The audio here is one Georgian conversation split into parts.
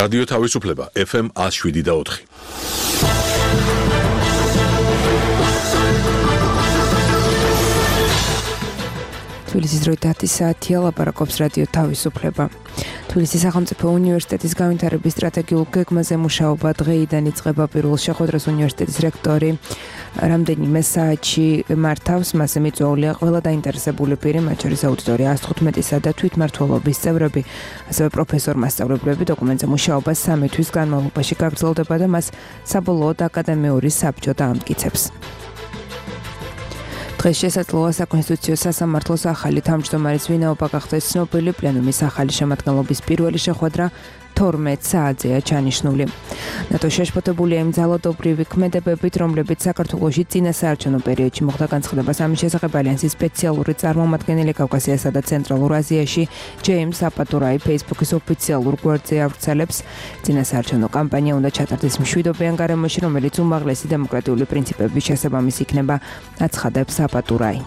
რადიო თავისუფლება FM 107.4. თბილისის დროით 10 საათია, ლაპარაკობს რადიო თავისუფლება. თბილისის სახელმწიფო უნივერსიტეტის განვითარების სტრატეგიულ გეგმაზე მუშაობა დღეიდან იწყება. პირველ შეხვედრას უნივერსიტეტის რექტორი რამდენიმე საათში მართავს, მასზე მიწვეულია ყველა დაინტერესებული პირი, მათ შორის აუდიტორია 115-ისა და თვითმმართველობის წევრები, ასევე პროფესორ-მასწავლებლები. დოკუმენტზე მუშაობა 3 თვის განმავლობაში გაგრძელდება და მას საბოლოოდ აკადემიური საბჭო დაამტკიცებს. დღეს შესაძლოა საკონსტიტუციო სასამართლოს ახალი თავმჯდომარის ვინაობა გახდეს ცნობილი. პლენუმის ახალი შემადგენლობის პირველი შეხვედრა 12 საათზეა ჩანიშნული. ნატო შეშფოთებულია იმ ძალადობრივი ქმედებებით, რომლებიც საქართველოში წინასაარჩევნო პერიოდში მოხდა. განცხადებას ამის შესახებ ალიანსის სპეციალური წარმომადგენელი კავკასიასა და ცენტრალურ აზიაში ჯეიმს აპატურაი ფეისბუქის ოფიციალურ გვერდზე ავრცელებს. წინასაარჩევნო კამპანია უნდა ჩატარდეს მშვიდობიან გარემოში, რომელიც უმაღლესი დემოკრატიული პრინციპების შესაბამისი იქნება, აცხადებს აპატურაი.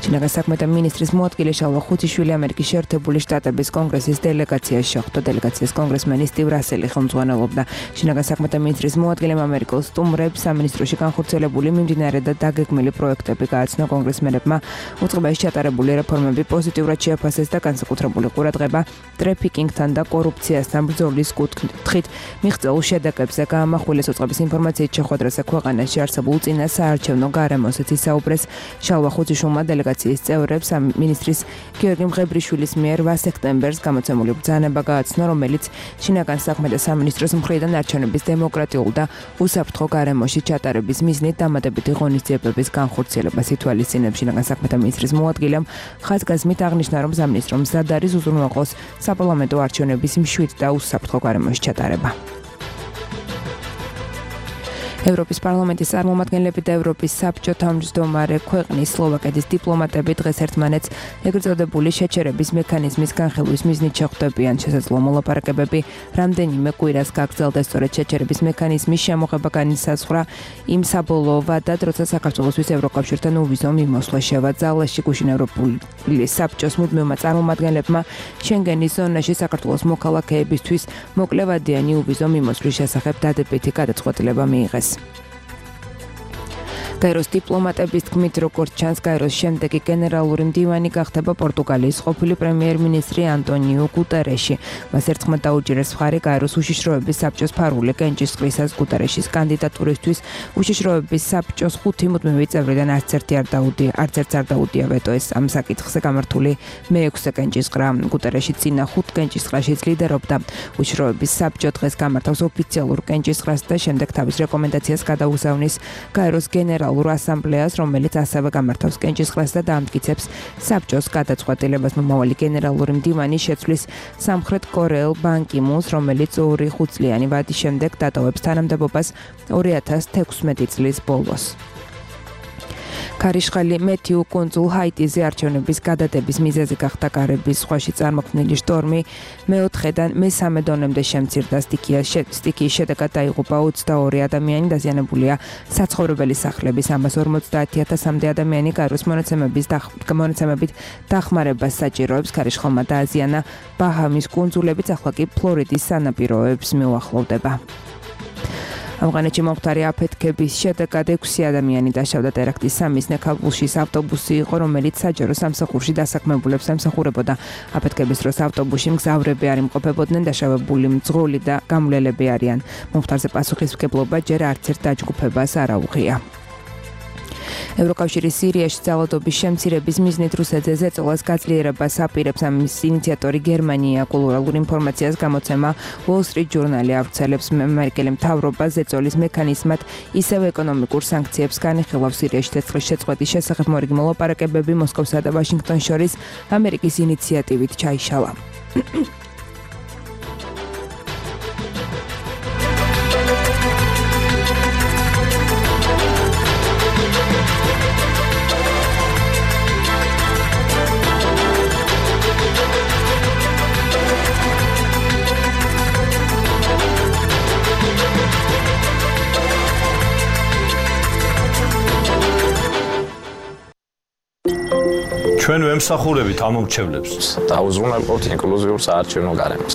შინაგან საქმეთა მინისტრის მოადგილე შალვა ხუთიშვილი ამერიკის შეერთებული შტატების კონგრესის დელეგაციაში შეხვდა. დელეგაციას კონგრესმენი სტივ რასელი ხელმძღვანელობდა. შინაგან საქმეთა მინისტრის მოადგილემ ამერიკელ სტუმრებს სამინისტროში განხორციელებული მიმდინარე და დაგეგმილი პროექტები გააცნო. კონგრესმენებმა უწყებაში ჩატარებული რეფორმები პოზიტიურად შეაფასეს და განსაკუთრებული ყურადღება ტრაფიკინგთან და კორუფციასთან ბრძოლის კუთხით მიღწეულ შედეგებზე გაამახვილეს. უწყების ინფორმაციით შეხვედრაზე ქვეყანაში არსებულ წინასაარჩევნო გარემოსაც ისაუბრეს. შალვა ხუთიშვილმა დელეგაციის წევრებს მინისტრის გიორგი მღებრიშვილის მიერ 8 სექტემბერს გამოცემული ბრძანება გააცნო, რომელიც შინაგან საქმეთა სამინისტროს მხრიდან არჩევნების დემოკრატიულ და უსაფრთხო გარემოში ჩატარების მიზნით დამატებითი ღონისძიებების განხორციელებას ითვალისწინებს. შინაგან საქმეთა მინისტრის მოადგილემ ხაზგასმით აღნიშნა, რომ სამინისტრო მზად არის უზრუნველყოს საპარლამენტო არჩევნების მშვიდ და უსაფრთხო გარემოში ჩატარება. ევროპის პარლამენტის წარმომადგენლები და ევროპის საბჭო თავმჯდომარე ქვეყნის სლოვაკეთის დიპლომატები დღეს ერთმანეთს ეგრეთ წოდებული შეჩერების მექანიზმის განხილვის მიზნით შეხვდებიან. შესაძლოა მოლაპარაკებები რამდენიმე კვირას გაგრძელდეს. სწორედ შეჩერების მექანიზმის შემოღება განისაზღვრა იმ საბოლოო ვადად, როცა საქართველოსთვის ევროკავშირთან უვიზო მიმოსვლა შევაძალაში. გუშინ ევროპული საბჭოს მუდმივმა წარმომადგენლებმა შენგენის ზონაში საქართველოს მოქალაქეებისთვის მოკლევადიანი უვიზო მიმოსვლის შესახებ დადებითი გადაწყვეტილება მიიღეს. გაეროს დიპლომატების თქმით, როგორც ჩანს, გაეროს შემდეგი გენერალური მდივანი გახდება პორტუგალიის ყოფილი პრემიერ-მინისტრი ანტონიუ გუტერეში. მას ერთხმად დაუჭირეს მხარი გაეროს უშიშროების საბჭოს ფარული კენჭისყრისას. გუტერეშის კანდიდატურისთვის უშიშროების საბჭოს 5 მუდმივი წევრიდან არც ერთს არ დაუდია ვეტოს ამ საკითხზე გამართული მე-6 კენჭისყრა. გუტერეში წინა 5 კენჭისყრაშიც ლიდერობდა. უშიშროების საბჭო დღეს გამართავს ოფიციალურ კენჭისყრას და შემდეგ თავის რეკომენდაციას გადაუსავნის გაეროს გენერალურ ასამბლეას, რომელიც ასევე გამართავს კენჭისყრას და დაამტკიცებს საბჭოს გადაწყვეტილებას. მომავალი გენერალური მდივანი შეცვლის სამხრეთ კორეელ ბან კი მუნს, რომელიც 2 5-წლიანი ვადის შემდეგ დატოვებს თანამდებობას 2016 წლის ბოლოს. ქარიშხალი მეტიუ კუნძულ ჰაიტიზე არჩევნების გადადების მიზეზი გახდა კარიბის ზღვაში წარმოქმნილი შტორმი. მე-4-დან მე-3 დონემდე შემცირდა. სტიქიის შედეგად დაიღუპა 22 ადამიანი, დაზიანებულია საცხოვრებელი სახლების 150,000-მდე ადამიანი. გაეროს მონაცემებით დახმარებას საჭიროებს. ქარიშხალმა დააზიანა ბაჰამის კუნძულებიც, ახლა კი ფლორიდის სანაპიროებს მიუახლოვდება. ავღანეთში მომხდარი აფეთქების შედეგად 6 ადამიანი დაშავდა. ტერაქტის სამიზნე ქაბულში ავტობუსი იყო, რომელიც საჯარო სამსახურში დასაქმებულებს ემსახურებოდა. აფეთქების დროს ავტობუსში მგზავრები არ იმყოფებოდნენ, დაშავებული მძღოლი და გამვლელები არიან. მომხდარზე პასუხისმგებლობა ჯერ არც ერთ დაჯგუფებას არ აუღია. ევროკავშირის სირიაში ძალადობის შემცირების მიზნით რუსეთზე ზეწოლას გაძლიერებას აპირებს. ამის ინიციატორი გერმანია. კულტურულ ინფორმაციას გამოცემა Wall Street Journal ავრცელებს. ამერიკელი მთავრობა ზეწოლის მექანიზმად ისევ ეკონომიკურ სანქციებს განიხილავს. სირიაში ცეცხლის შეწყვეტის შესახებ მორიგი მოლაპარაკებები მოსკოვსა და ვაშინგტონს შორის ამერიკის ინიციატივით ჩაიშალა. ჩვენ ვემსახურებით ამ მომრჩევლებს. დაუზრუნავთ ინკლუზიურ საარჩევნო გარემოს.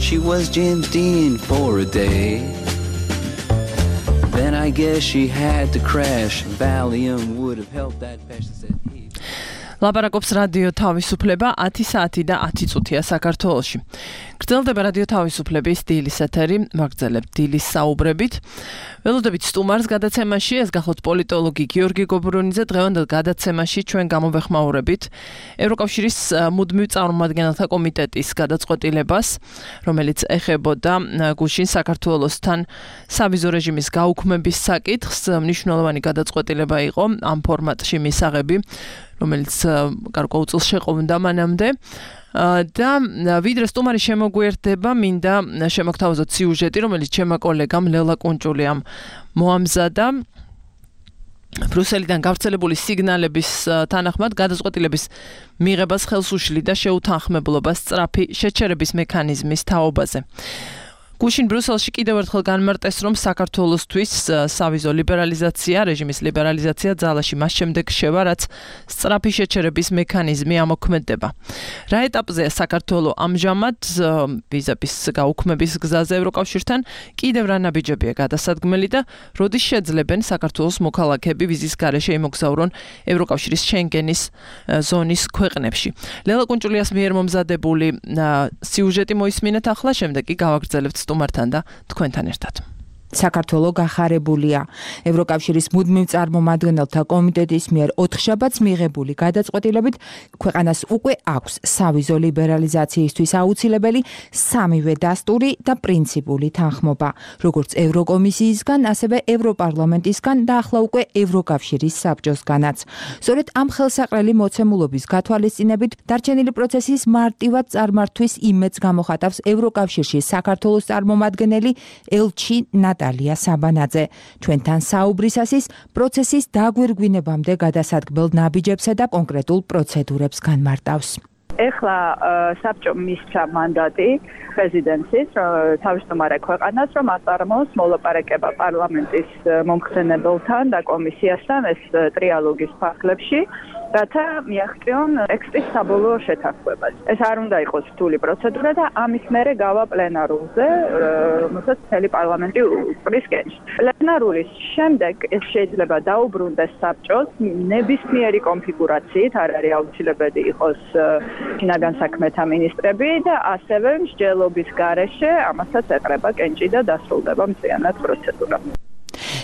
thought she was Jim Dean for a day. Then I guess she had to crash. Valium would have helped that patient said he ლაპარაკობს რადიო თავისუფლება 10 საათი და 10 წუთია საქართველოში. გრძელდება რადიო თავისუფლების დილის ეთერი, ვაგრძელებთ დილის საუბრებით. ველოდებით სტუმარს გადაცემაში, ეს გახლავთ პოლიტოლოგი გიორგი გობრუნიძე, დღევანდელ გადაცემაში ჩვენ გამოვეხმაურებით ევროკავშირის მუდმივ წარმომადგენელთა კომიტეტის გადაწყვეტილებას, რომელიც ეხებოდა გუშინ საქართველოსთან სავიზო რეჟიმის გაუქმების საკითხს. მნიშვნელოვანი გადაწყვეტილება იყო ამ ფორმატში მისაღები, რომელიც გარკვეულ შეყოვდა მანამდე და ვიდრე სტუმარი შემოგვიერთდება, მინდა შემოგთავაზოთ სიუჟეტი, რომელიც ჩემმა კოლეგამ ლელა კუნჭულიამ მოამზადა. ბრიუსელიდან გავრცელებული სიგნალების თანახმად გადაწყვეტილების მიღებას ხელს უშლიდა შეუთანხმებლობას სწრაფი შეჩერების მექანიზმის თაობაზე. გუშინ ბრიუსელში კიდევ ერთხელ განმარტეს, რომ საქართველოსთვის სავიზო ლიბერალიზაცია, რეჟიმის ლიბერალიზაცია ძალაში მას შემდეგ შევა, რაც სწრაფი შეჩერების მექანიზმი ამოქმედდება. რა ეტაპზეა საქართველო ამჟამად ვიზების გაუქმების გზაზე ევროკავშირთან, კიდევ რა ნაბიჯებია გადასადგმელი და როდის შეძლებენ საქართველოს მოქალაქეები ვიზის გარეშე იმოგზაურონ ევროკავშირის შენგენის ზონის ქვეყნებში. ლელა კუნჭულიას მიერ მომზადებული სიუჟეტი მოისმინეთ ახლა, შემდეგ კი გავაგრძელებთ სტუმართან და თქვენთან ერთად. საქართველო გახარებულია. ევროკავშირის მუდმივ წარმომადგენელთა კომიტეტის მიერ 4 შაბათს მიღებული გადაწყვეტილებით ქვეყანას უკვე აქვს სავიზო ლიბერალიზაციისთვის აუცილებელი სამივე დასტური და პრინციპული თანხმობა, როგორც ევროკომისიისგან, ასევე ევროპარლამენტისგან და ახლა უკვე ევროკავშირის საბჭოსგანაც. სწორედ ამ ხელსაყრელი მოცემულობის გათვალისწინებით დარჩენილი პროცესის მარტივად წარმართვის იმედს გამოხატავს ევროკავშირში საქართველოს წარმომადგენელი ელჩი ნატალია საბანაძე. ჩვენთან საუბრისას ის პროცესის დაგვირგვინებამდე გადასადგმელ ნაბიჯებსა და კონკრეტულ პროცედურებს განმარტავს. ეხლა საბჭომ მისცა მანდატი პრეზიდენტის თავმჯდომარე ქვეყანას, რომ აწარმოოს მოლაპარაკება პარლამენტის მომხსენებელთან და კომისიასთან ეს ტრიალოგის ფარგლებში, რათა მიაღწიონ ტექსტის საბოლოო შეთანხმებას. ეს არ უნდა იყოს რთული პროცედურა და ამის მერე გავა პლენარულზე, რომელსაც მთელი პარლამენტი უყრის. პლენარულის შემდეგ ეს შეიძლება დაუბრუნდეს საბჭოს ნებისმიერი კონფიგურაციით, არ არის აუცილებელი იყოს შინაგან საქმეთა მინისტრები და ასევე მსჯელობის გარეშე ამასაც ეყრება კენჭი და დასრულდება მთლიანად პროცედურა.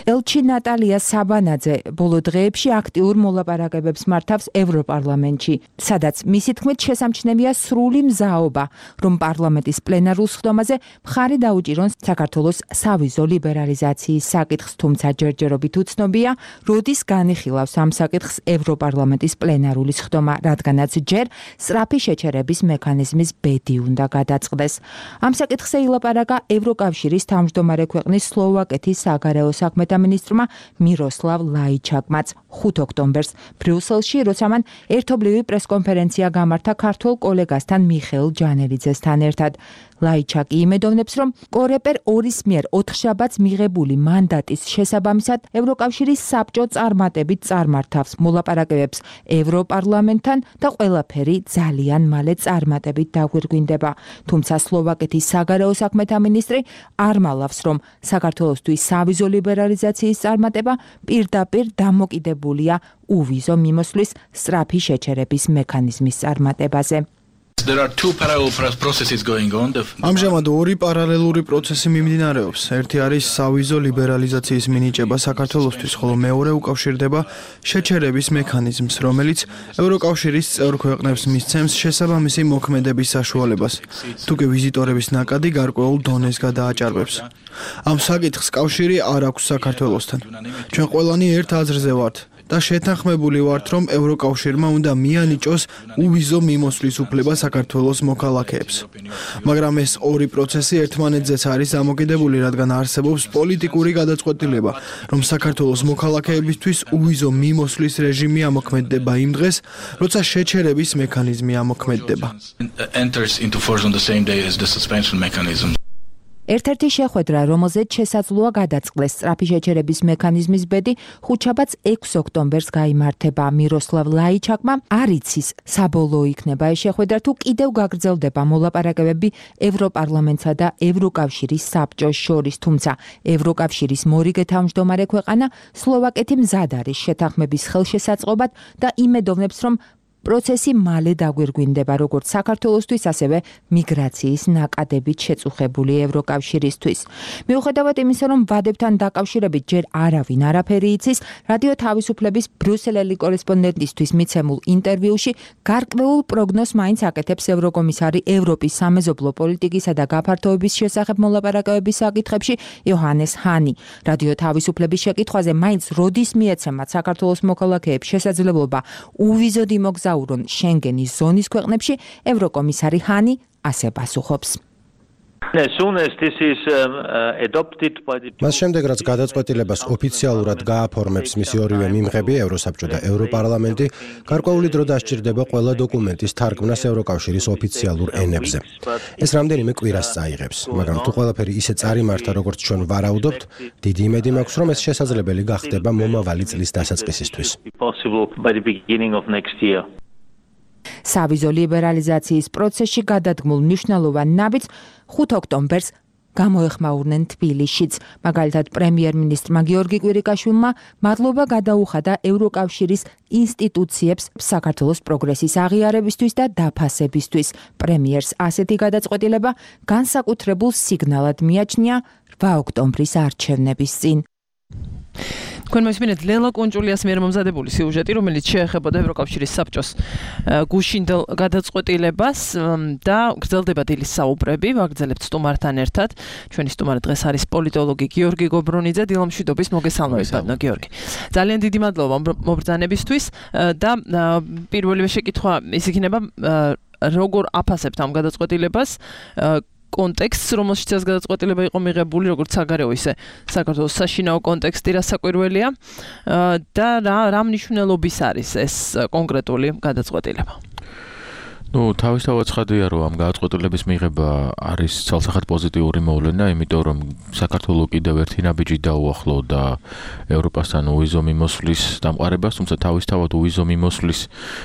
ელჩი ნატალია საბანაძე ბოლო დღეებში აქტიურ მოლაპარაკებებს მართავს ევროპარლამენტში, სადაც მისი თქმით შესამჩნევია სრული მზაობა, რომ პარლამენტის პლენარულ სხდომაზე მხარი დაუჭირონ საქართველოს სავიზო ლიბერალიზაციის საკითხს, თუმცა ჯერჯერობით უცნობია, როდის განიხილავს ამ საკითხს ევროპარლამენტის პლენარული სხდომა, რადგანაც ჯერ სწრაფი შეჩერების მექანიზმის ბედი უნდა გადაწყდეს. ამ საკითხზე ილაპარაკა ევროკავშირის თავმჯდომარე ქვეყნის სლოვაკეთის საგარეო საქმეთა მინისტრმა მიროსლავ ლაიჩაკმაც 5 ოქტომბერს ბრიუსელში, როცა მან ერთობლივი პრესკონფერენცია გამართა ქართველ კოლეგასთან მიხეილ ჯანელიძესთან ერთად. ლაიჩაკი იმედოვნებს, რომ კორეპერ 2-ის მიერ 4 შაბათს მიღებული მანდატის შესაბამისად ევროკავშირის საბჭო წარმატებით წარმართავს მოლაპარაკებებს ევროპარლამენტთან და ყველაფერი ძალიან მალე წარმატებით დაგვირგვინდება. თუმცა სლოვაკეთის საგარეო საქმეთა მინისტრი არ მალავს, რომ საქართველოსთვის სავიზო ლიბერალიზაციის წარმატება პირდაპირ დამოკიდებულია უვიზო მიმოსვლის სწრაფი შეჩერების მექანიზმის წარმატებაზე. ამჟამად ორი პარალელური პროცესი მიმდინარეობს. ერთი არის სავიზო ლიბერალიზაციის მინიჭება საქართველოსთვის, ხოლო მეორე უკავშირდება შეჩერების მექანიზმს, რომელიც ევროკავშირის წევრ ქვეყნებს მისცემს შესაბამისი მოქმედების საშუალებას, თუ კი ვიზიტორების ნაკადი გარკვეულ დონეს გადააჭარბებს. ამ საკითხს კავშირი არ აქვს საქართველოსთან. ჩვენ ყველანი ერთ აზრზე ვართ. და შეთანხმებული ვართ, რომ ევროკავშირმა უნდა მიანიჭოს უვიზო მიმოსვლის უფლება საქართველოს მოქალაქეებს. მაგრამ ეს ორი პროცესი ერთმანეთზეც არის დამოკიდებული, რადგან არსებობს პოლიტიკური გადაწყვეტილება, რომ საქართველოს მოქალაქეებისთვის უვიზო მიმოსვლის რეჟიმი ამოქმედდება იმ დღეს, როცა შეჩერების მექანიზმი ამოქმედდება. ერთ-ერთი შეხვედრა, რომელზეც შესაძლოა გადაწყდეს სწრაფი შეჩერების მექანიზმის ბედი, ხუთშაბათს 6 ოქტომბერს გაიმართება. მიროსლავ ლაიჩაკმა არ იცის, საბოლოო იქნება ეს შეხვედრა თუ კიდევ გაგრძელდება მოლაპარაკებები ევროპარლამენტსა და ევროკავშირის საბჭოს შორის, თუმცა ევროკავშირის მორიგე თავმჯდომარე ქვეყანა სლოვაკეთი მზად არის შეთანხმების ხელშესაწყობად და იმედოვნებს, რომ პროცესი მალე დაგვირგვინდება როგორც საქართველოსთვის, ასევე მიგრაციის ნაკადებით შეწუხებული ევროკავშირისთვის. მიუხედავად იმისა, რომ ვადებთან დაკავშირებით ჯერ არავინ არაფერი იცის, რადიო თავისუფლების ბრიუსელელი კორესპონდენტისთვის მიცემულ ინტერვიუში გარკვეულ პროგნოზს მაინც აკეთებს ევროკომისარი ევროპის სამეზობლო პოლიტიკისა და გაფართოების შესახებ მოლაპარაკებების საკითხებში იოჰანეს ჰანი. რადიო თავისუფლების შეკითხვაზე მაინც როდის მიეცემათ საქართველოს მოქალაქეებს შესაძლებლობა უვიზოდ იმოგზაურონ შენგენის ზონის ქვეყნებში, ევროკომისარი ჰანი ასე პასუხობს. მას შემდეგ, რაც გადაწყვეტილებას ოფიციალურად გააფორმებს მისი ორივე მიმღები, ევროსაბჭო და ევროპარლამენტი, გარკვეული დრო დასჭირდება ყველა დოკუმენტის თარგმნას ევროკავშირის ოფიციალურ ენებზე. ეს რამდენიმე კვირას წაიღებს, მაგრამ თუ ყველაფერი ისე წარიმართა, როგორც ჩვენ ვარაუდობთ, დიდი იმედი მაქვს, რომ ეს შესაძლებელი გახდება მომავალი წლის დასაწყისისთვის. სავიზო ლიბერალიზაციის პროცესში გადადგმულ მნიშვნელოვან ნაბიჯს 5 ოქტომბერს გამოეხმაურნენ თბილისშიც. მაგალითად, პრემიერ-მინისტრმა გიორგი კვირიკაშვილმა მადლობა გადაუხადა ევროკავშირის ინსტიტუციებს საქართველოს პროგრესის აღიარებისთვის და დაფასებისთვის. პრემიერს ასეთი გადაწყვეტილება განსაკუთრებულ სიგნალად მიაჩნია 8 ოქტომბრის არჩევნების წინ. თქვენ მოსმინეთ ლელა კუნჭულიას მიერ მომზადებული სიუჟეტი, რომელიც შეეხებოდა ევროკავშირის საბჭოს გუშინდელ გადაწყვეტილებას და გრძელდება დილის საუბრები. ვაგრძელებთ სტუმართან ერთად. ჩვენი სტუმარი დღეს არის პოლიტოლოგი გიორგი გობრონიძე. დილამშვიდობის, მოგესალმებით, გიორგი. ძალიან დიდი მადლობა მობრძანებისთვის და პირველივე შეკითხვა ის იქნება, როგორ აფასებთ ამ გადაწყვეტილებას? კონტექსტს, რომელშიც ეს გადაწყვეტილება იყო მიღებული, როგორც საგარეო, ისე საქართველოს საშინაო კონტექსტი რასაკვირველია და რა მნიშვნელობის არის ეს კონკრეტული გადაწყვეტილება? თავისთავად ცხადია, რომ ამ გადაწყვეტილების მიღება არის ცალსახად პოზიტიური მოვლენა, იმიტომ რომ საქართველოს კიდევ ერთი ნაბიჯი დაუახლოვდა ევროპასთან უვიზო მიმოსვლის დამყარებას, თუმცა თავისთავად უვიზო მიმოსვლის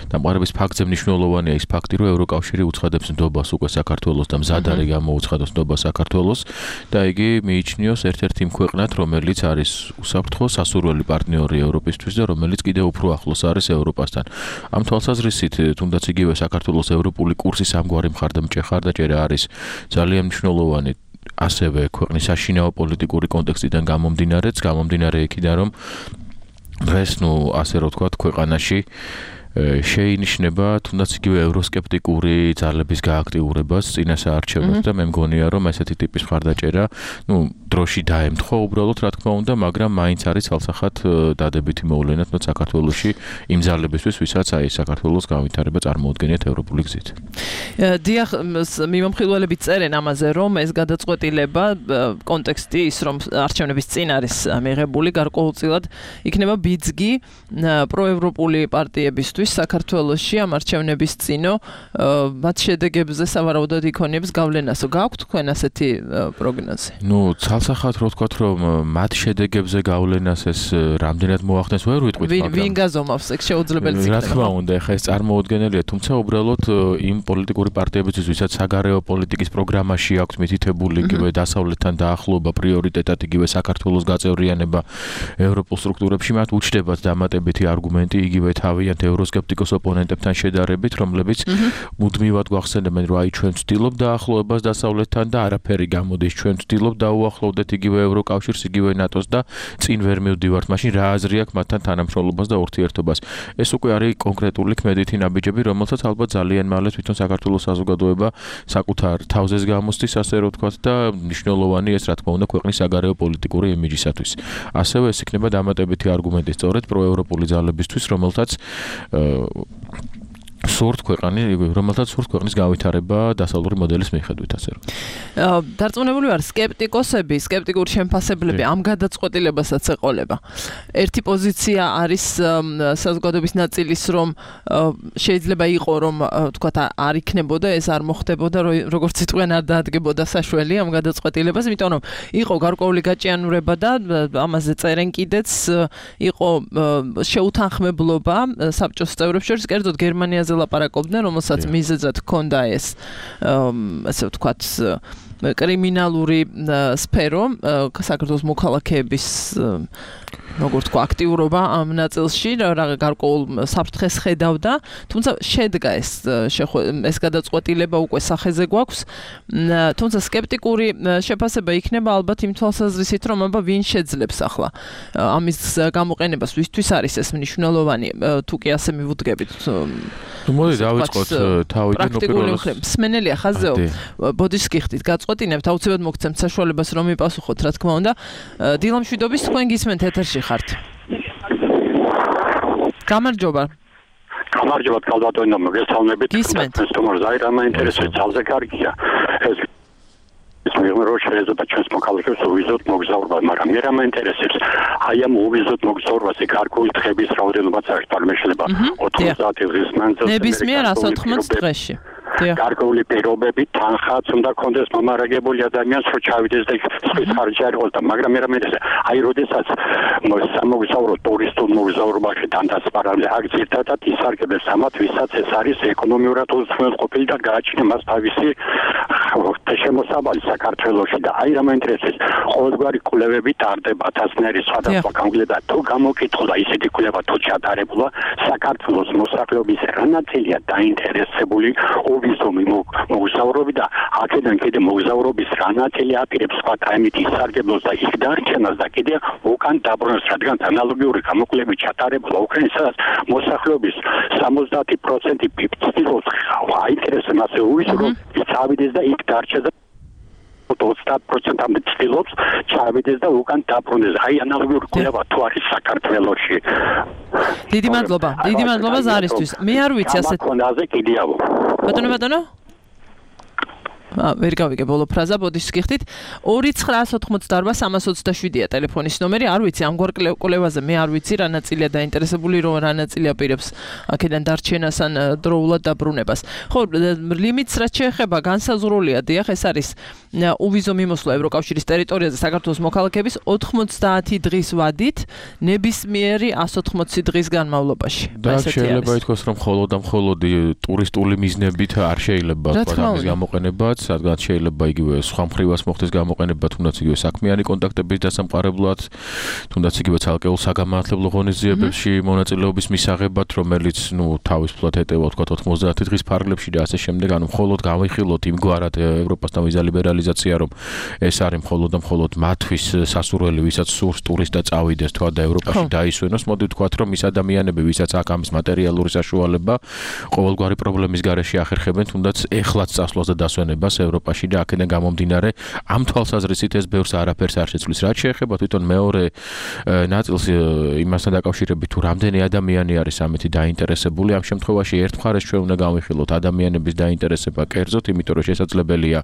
დამყარების ფაქტზე მნიშვნელოვანია ის ფაქტი, რომ ევროკავშირი უცხადებს ნდობას უკვე საქართველოს და მზად არის გამოუცხადოს ნდობა საქართველოს და იგი მიიჩნიოს ერთ-ერთ იმ ქვეყნად, რომელიც არის უსაფრთხო სასურველი პარტნიორი ევროპისთვის და რომელიც კიდევ უფრო ახლოს არის ევროპასთან. ამ თვალსაზრისით, თუნდაც იგივე საქართველოს ევროპული კურსის ამგვარი მხარდამჭერა არის ძალიან მნიშვნელოვანი ასევე ქვეყნის საშინაო პოლიტიკური კონტექსტიდან გამომდინარე იქიდან, რომ დღეს ასე რომ ვთქვათ, ქვეყანაში შეინიშნება თუნდაც იგივე ევროსკეპტიკური ძალების გააქტიურებას წინასაარჩევნოდ და მე მგონია, რომ ესეთი ტიპის მხარდაჭერა, დროში დაემთხვა უბრალოდ, რა თქმა უნდა, მაგრამ მაინც არის ცალსახად დადებითი მოვლენა თუნდაც საქართველოში იმ ძალებისთვის, ვისაც აი საქართველოს განვითარება წარმოუდგენიათ ევროპული გზით. დიახ, მიმომხილველები წერენ ამაზე, რომ ეს გადაწყვეტილება კონტექსტი ის, რომ არჩევნების წინ არის მიღებული, გარკვეულწილად იქნება ბიძგი პროევროპული პარტიებისთვის საქართველოში ამ არჩევნების წინო მათ შედეგებზე სავარაუდოდ იქონიებს გავლენასო. გააქვთ თქვენ ასეთი პროგნოზი? ცალსახად რო ვთქვათ, რომ მათ შედეგებზე გავლენას ეს რამდენად მოახდენს, ვერ ვიტყვით, მაგრამ ვინ გაზომავს, ეგ შეუძლებელიც იქნება. რა თქმა უნდა, ეხლა ეს წარმოუდგენელია, თუმცა უბრალოდ იმ პოლიტიკური პარტიებისთვის, ვისაც საგარეო პოლიტიკის პროგრამაში აქვს მითითებული იგივე დასავლეთთან დაახლოება, პრიორიტეტად იგივე საქართველოს გაწევრიანება ევროპულ სტრუქტურებში, მათ უჩნდებათ დამატებითი არგუმენტი იგივე თავიანთ ევროსკეპტიკოს ოპონენტებთან შედარებით, რომლებიც მუდმივად გვახსენებენ, რომ აი ჩვენ ვცდილობთ დაახლოებას დასავლეთთან და არაფერი გამოდის, ჩვენ ვცდილობთ დაუახლოვდეთ იგივე ევროკავშირს, იგივე ნატოს და წინ ვერ მივდივართ, მაშინ რა აზრი აქვს მათთან თანამშრომლობას და ურთიერთობას. ეს უკვე არის კონკრეტული ქმედითი ნაბიჯები, რომელსაც ალბათ ძალიან მალე თვითონ საქართველოს საზოგადოება საკუთარ თავზეც გამოსდის, ასე რომ ვთქვათ, და მნიშვნელოვანი ეს რა თქმა უნდა ქვეყნის საგარეო პოლიტიკური იმიჯისათვის. ასევე ეს იქნება დამატებითი არგუმენტი სწორედ პროევროპული ძალებისთვის, რომელთაც სურთ ქვეყანი, რომელთაც სურთ ქვეყნის გავითარება დასავლური მოდელის მიხედვით, ასე რომ. დარწმუნებული ვარ, სკეპტიკოსები, სკეპტიკური შემფასებლები ამ გადაწყვეტილებასაც ეყოლება. ერთი პოზიცია არის საზოგადოების ნაწილის, რომ შეიძლება იყო, რომ თქვათ არ იქნებოდა, ეს არ მოხდებოდა, როგორც იტყვიან, არ დაადგებოდა საშველი ამ გადაწყვეტილებას, იმიტომ რომ იყო გარკვეული გაჭიანურება და ამაზე წერენ კიდეც, იყო შეუთანხმებლობა საბჭოს წევრებს შორის, კერძოდ გერმანიაზე ლაპარაკობდნენ, რომელსაც მიზეზად ჰქონდა ეს ასე ვთქვათ კრიმინალური სფერო, საქართველოს მოქალაქეების როგორც თქვა აქტიურობა ამ ნაწილში, გარკვეულ საფრთხეს ხედავდა, თუმცა შედგა ეს გადაწყვეტილება უკვე სახეზე გვაქვს, თუმცა სკეპტიკური შეფასება იქნება ალბათ იმ თვალსაზრისით, რომ აბა ვინ შეძლებს ახლა ამის გამოყენებას, ვისთვის არის ეს მნიშვნელოვანი, თუ კი ასე მივუდგებით. მოდი დავიწყოთ თავიდან უპირველეს. მსმენელია ხაზეო, ბოდიშს გიხდით, გაწყვეტინებთ, აუცილებლად მოგცემთ საშუალებას, რომ მიპასუხოთ, რა თქმა უნდა. დილამშვიდობის, თქვენ გისმენთ ეთერში ხართ. გამარჯობა. გამარჯობა, კალბატონო, მოგესალმებით. გისმენთ. თუმცა აი რა მაინტერესებს, ძალზე კარგია. ეს მეგობრებო შეიძლება ჩვენს მოქალაქეებს უვიზოთ მოგზაურობა, მაგრამ მე რა მაინტერესებს, აი ამ უვიზოთ მოგზაურობაზე გარკვეული დღების რაოდენობაც არის, თორმე შეიძლება 90 დღის მანძილზე. ნებისმიერ 180 დღეში. გარკვეული პირობები თანხაც უნდა კონდეს მომარაგებული ადამიანს, რომ ჩავიდეს და სხვის ხარჯი არ იყოს და მაგრამ მე რა მეცეს, აი როდესაც სამოგზაურო ტურისტულ მოგზაურობაში დანდასპარალე აქ ძირთადად ისარგებლეს ამათ, ვისაც ეს არის ეკონომიურად უზრუნველყოფილი და გააჩნია მას თავისი შემოსავალი საქართველოში და აი რა მაინტერესებს, ყოველგვარი კვლევები ტარდება თასნერი სხვადასხვა გამგლება თუ გამოკითხულა ისეთი კვლევა თუ ჩატარებულა საქართველოს მოსახლეობის რა ნაწილია დაინტერესებული ვიზომი მოგზაურობი და აქედან კიდე მოგზაურობის რა ნაწილი აპირებს სხვა თემით ისარგებლოს და იქ დარჩენას და კიდე უკან დაბრუნებას, რადგან ანალოგიური გამოკვლევები ჩატარებულა უკრაინას მოსახლეობის 70% ცდილობს აინტერესებს მასე უვისო რომ წავიდეს და იქ დარჩეს და 20%-ამდე ცდილობს ჩავიდეს და უკან დაბრუნდეს. აი ანალოგიური კვლევა თუ არის საქართველოში. დიდი მადლობა ზარისთვის. მე არ ვიცი ასეთ კონაზე კიდეავო. ბატონო ვერ გავიგე ბოლო ფრაზა, ბოდიშს გიხდით. 2988327-ია ტელეფონის ნომერი. არ ვიცი ამგვარ კვლევაზე, მე არ ვიცი რა ნაწილია დაინტერესებული, რომ რა ნაწილი აპირებს აქედან დარჩენას ან დროულად დაბრუნებას. ხო, ლიმიტს რაც შეეხება განსაზღვრულია, დიახ, ეს არის უვიზო მიმოსვლა ევროკავშირის ტერიტორიაზე საქართველოს მოქალაქეების 90 დღის ვადით, ნებისმიერი 180 დღის განმავლობაში. და შეიძლება ითქვას, რომ მხოლოდ ტურისტული მიზნებით არ შეიძლება ამის გამოყენებაც, რადგან შეიძლება იგივე სხვა მხრივას მოხდეს გამოყენება, თუნდაც იგივე საქმიანი კონტაქტების დასამყარებლად, თუნდაც იგივე ცალკეულ საგამართლებლო ღონისძიებებში მონაწილეობის მისაღებად, რომელიც თავისუფლად ეტევა თქვა 90 დღის ფარგლებში და ასე შემდეგ, ანუ მხოლოდ გავიხილოთ იმგვარად ევროპასთან ვიზა ლიბერალიზაცია, რომ ეს არის მხოლოდ მათთვის სასურველი, ვისაც სურს ტურისტი და წავიდეს თქვა და ევროპაში დაისვენოს, მოდი ვთქვათ, რომ ის ადამიანები, ვისაც აქ ამის მატერიალური საშუალება ყოველგვარი პრობლემის გარეშე ახერხებენ, თუნდაც ეხლაც წასვლას და დასვენებას ევროპაში და აქედან გამომდინარე ამ თვალსაზრისით ეს ბევრს არაფერს არ შეცვლის. რაც შეეხება თვითონ მეორე ნაწილს იმასთან დაკავშირებით, თუ რამდენი ადამიანი არის ამით დაინტერესებული, ამ შემთხვევაში ერთ მხარეს ჩვენ უნდა გავიხილოთ ადამიანების დაინტერესება კერძოდ, იმიტომ რომ შესაძლებელია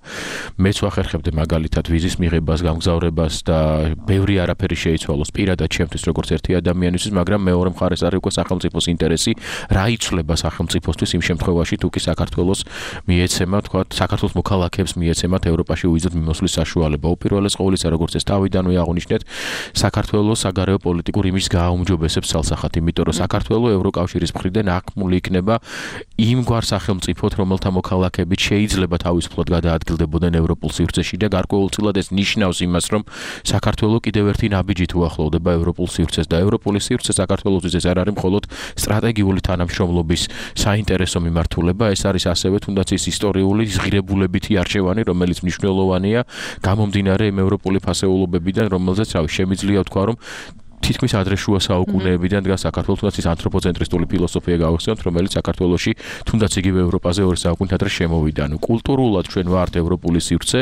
მეც ვახერხებდი მაგალითად ვიზის მიღებას, გამგზავრებას და ბევრი არაფერი შეიცვალოს პირადად ჩემთვის როგორც ერთი ადამიანისთვის, მაგრამ მეორე მხარეს არის უკვე სახელმწიფოს ინტერესი, რა იცვლება სახელმწიფოსთვის იმ შემთხვევაში, თუ კი საქართველოს მიეცემა, თქვათ, საქართველოს მოქალაქეებს მიეცემათ ევროპაში ვიზით მიმოსვლის საშუალება. უპირველეს ყოვლისა, როგორც ეს თავიდანვე აღნიშნეთ, საქართველოს საგარეო პოლიტიკურ იმის გააუმჯობესებს ცალსახად, იმიტომ რომ საქართველოს ევროკავშირის მხრიდან აკმული იქნება იმგვარ სახელმწიფოთ, რომელთა მოქალაქეებით შეიძლება თავისუფლად გადაადგილდებოდნენ ევროპულ სივრცეში და გარკვეულწილად ეს ნიშნავს იმას, რომ საქართველოს კიდევ ერთი ნაბიჯით უახლოვდება ევროპულ სივრცეს და ევროპული სივრცე საქართველოსთვის ეს არ არის მხოლოდ სტრატეგიული თანამშრომლობის საინტერესო მიმართულება, ეს არის ასევე თუნდაც ის ისტორიული ღირებულებითი არჩევანი, რომელიც მნიშვნელოვანია გამომდინარე იმ ევროპული ფასეულობებიდან, რომელზეც შემიძლია ვთქვა, რომ თითქმის ადრეშუა საუკუნეებიდან დგას საქართველოს თუნდაც ის ანთროპოცენტრისტული ფილოსოფია გავახსენოთ, რომელიც საქართველოში თუნდაც იგივე ევროპაზე 2 საუკუნით ადრე შემოვიდა. ანუ კულტურულად ჩვენ ვართ ევროპული სივრცე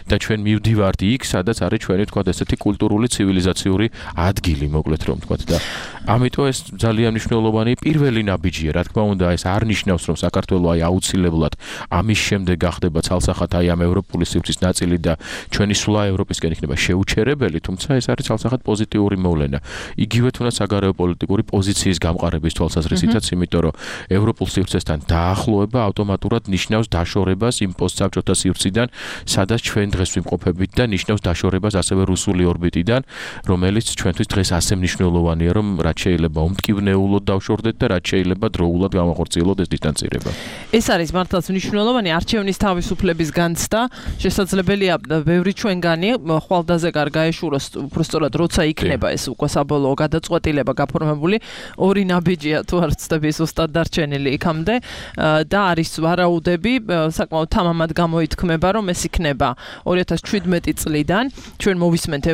და ჩვენ მივდივართ იქ, სადაც არის ჩვენი თქვა ესეთი კულტურული ცივილიზაციური ადგილი, მოკლედ რომ თქვა და ამიტომ ეს ძალიან მნიშვნელოვანი პირველი ნაბიჯია, რა თქმა უნდა, ეს არ ნიშნავს, რომ საქართველო აი აუცილებლად ამის შემდეგ გახდება ცალსახად აი ამ ევროპული სივრცის ნაწილი და ჩვენი სვლა ევროპისკენ იქნება შეუჩერებელი, თუმცა ეს არის ცალსახად პოზიტიური მოვლენა. იგივე თუნდაც საგარეო პოლიტიკური პოზიციის გამყარების თვალსაზრისითაც, იმიტომ რომ ევროპულ სივრცესთან დაახლოება ავტომატურად ნიშნავს დაშორებას იმ პოსტსაბჭოთა სივრციდან, სადაც ჩვენ დღეს ვიმყოფებით და ნიშნავს დაშორებას ასევე რუსული ორბიტიდან, რომელიც ჩვენთვის დღეს ასე მნიშვნელოვანია, რომ რაც შეიძლება უმტკივნეულოდ დავშორდეთ და რაც შეიძლება დროულად გამახორციელოთ ეს დისტანცირება. ეს არის მართლაც მნიშვნელოვანი არჩევნის თავისუფლების განცდა. შესაძლებელია ბევრი ჩვენგანი ხვალდაზე არ გაეშუროს, უბრალოდ როცა იქნება ეს უკვე საბოლოო გადაწყვეტილება გაფორმებული, 2 ნაბიჯია თუ არ ვცდები ის უბრალოდ დარჩენილი იქამდე და არის ვარაუდები, საკმაოდ თამამად გამოითქმება, რომ ეს იქნება 2017 წლიდან. ჩვენ მოვისმენთ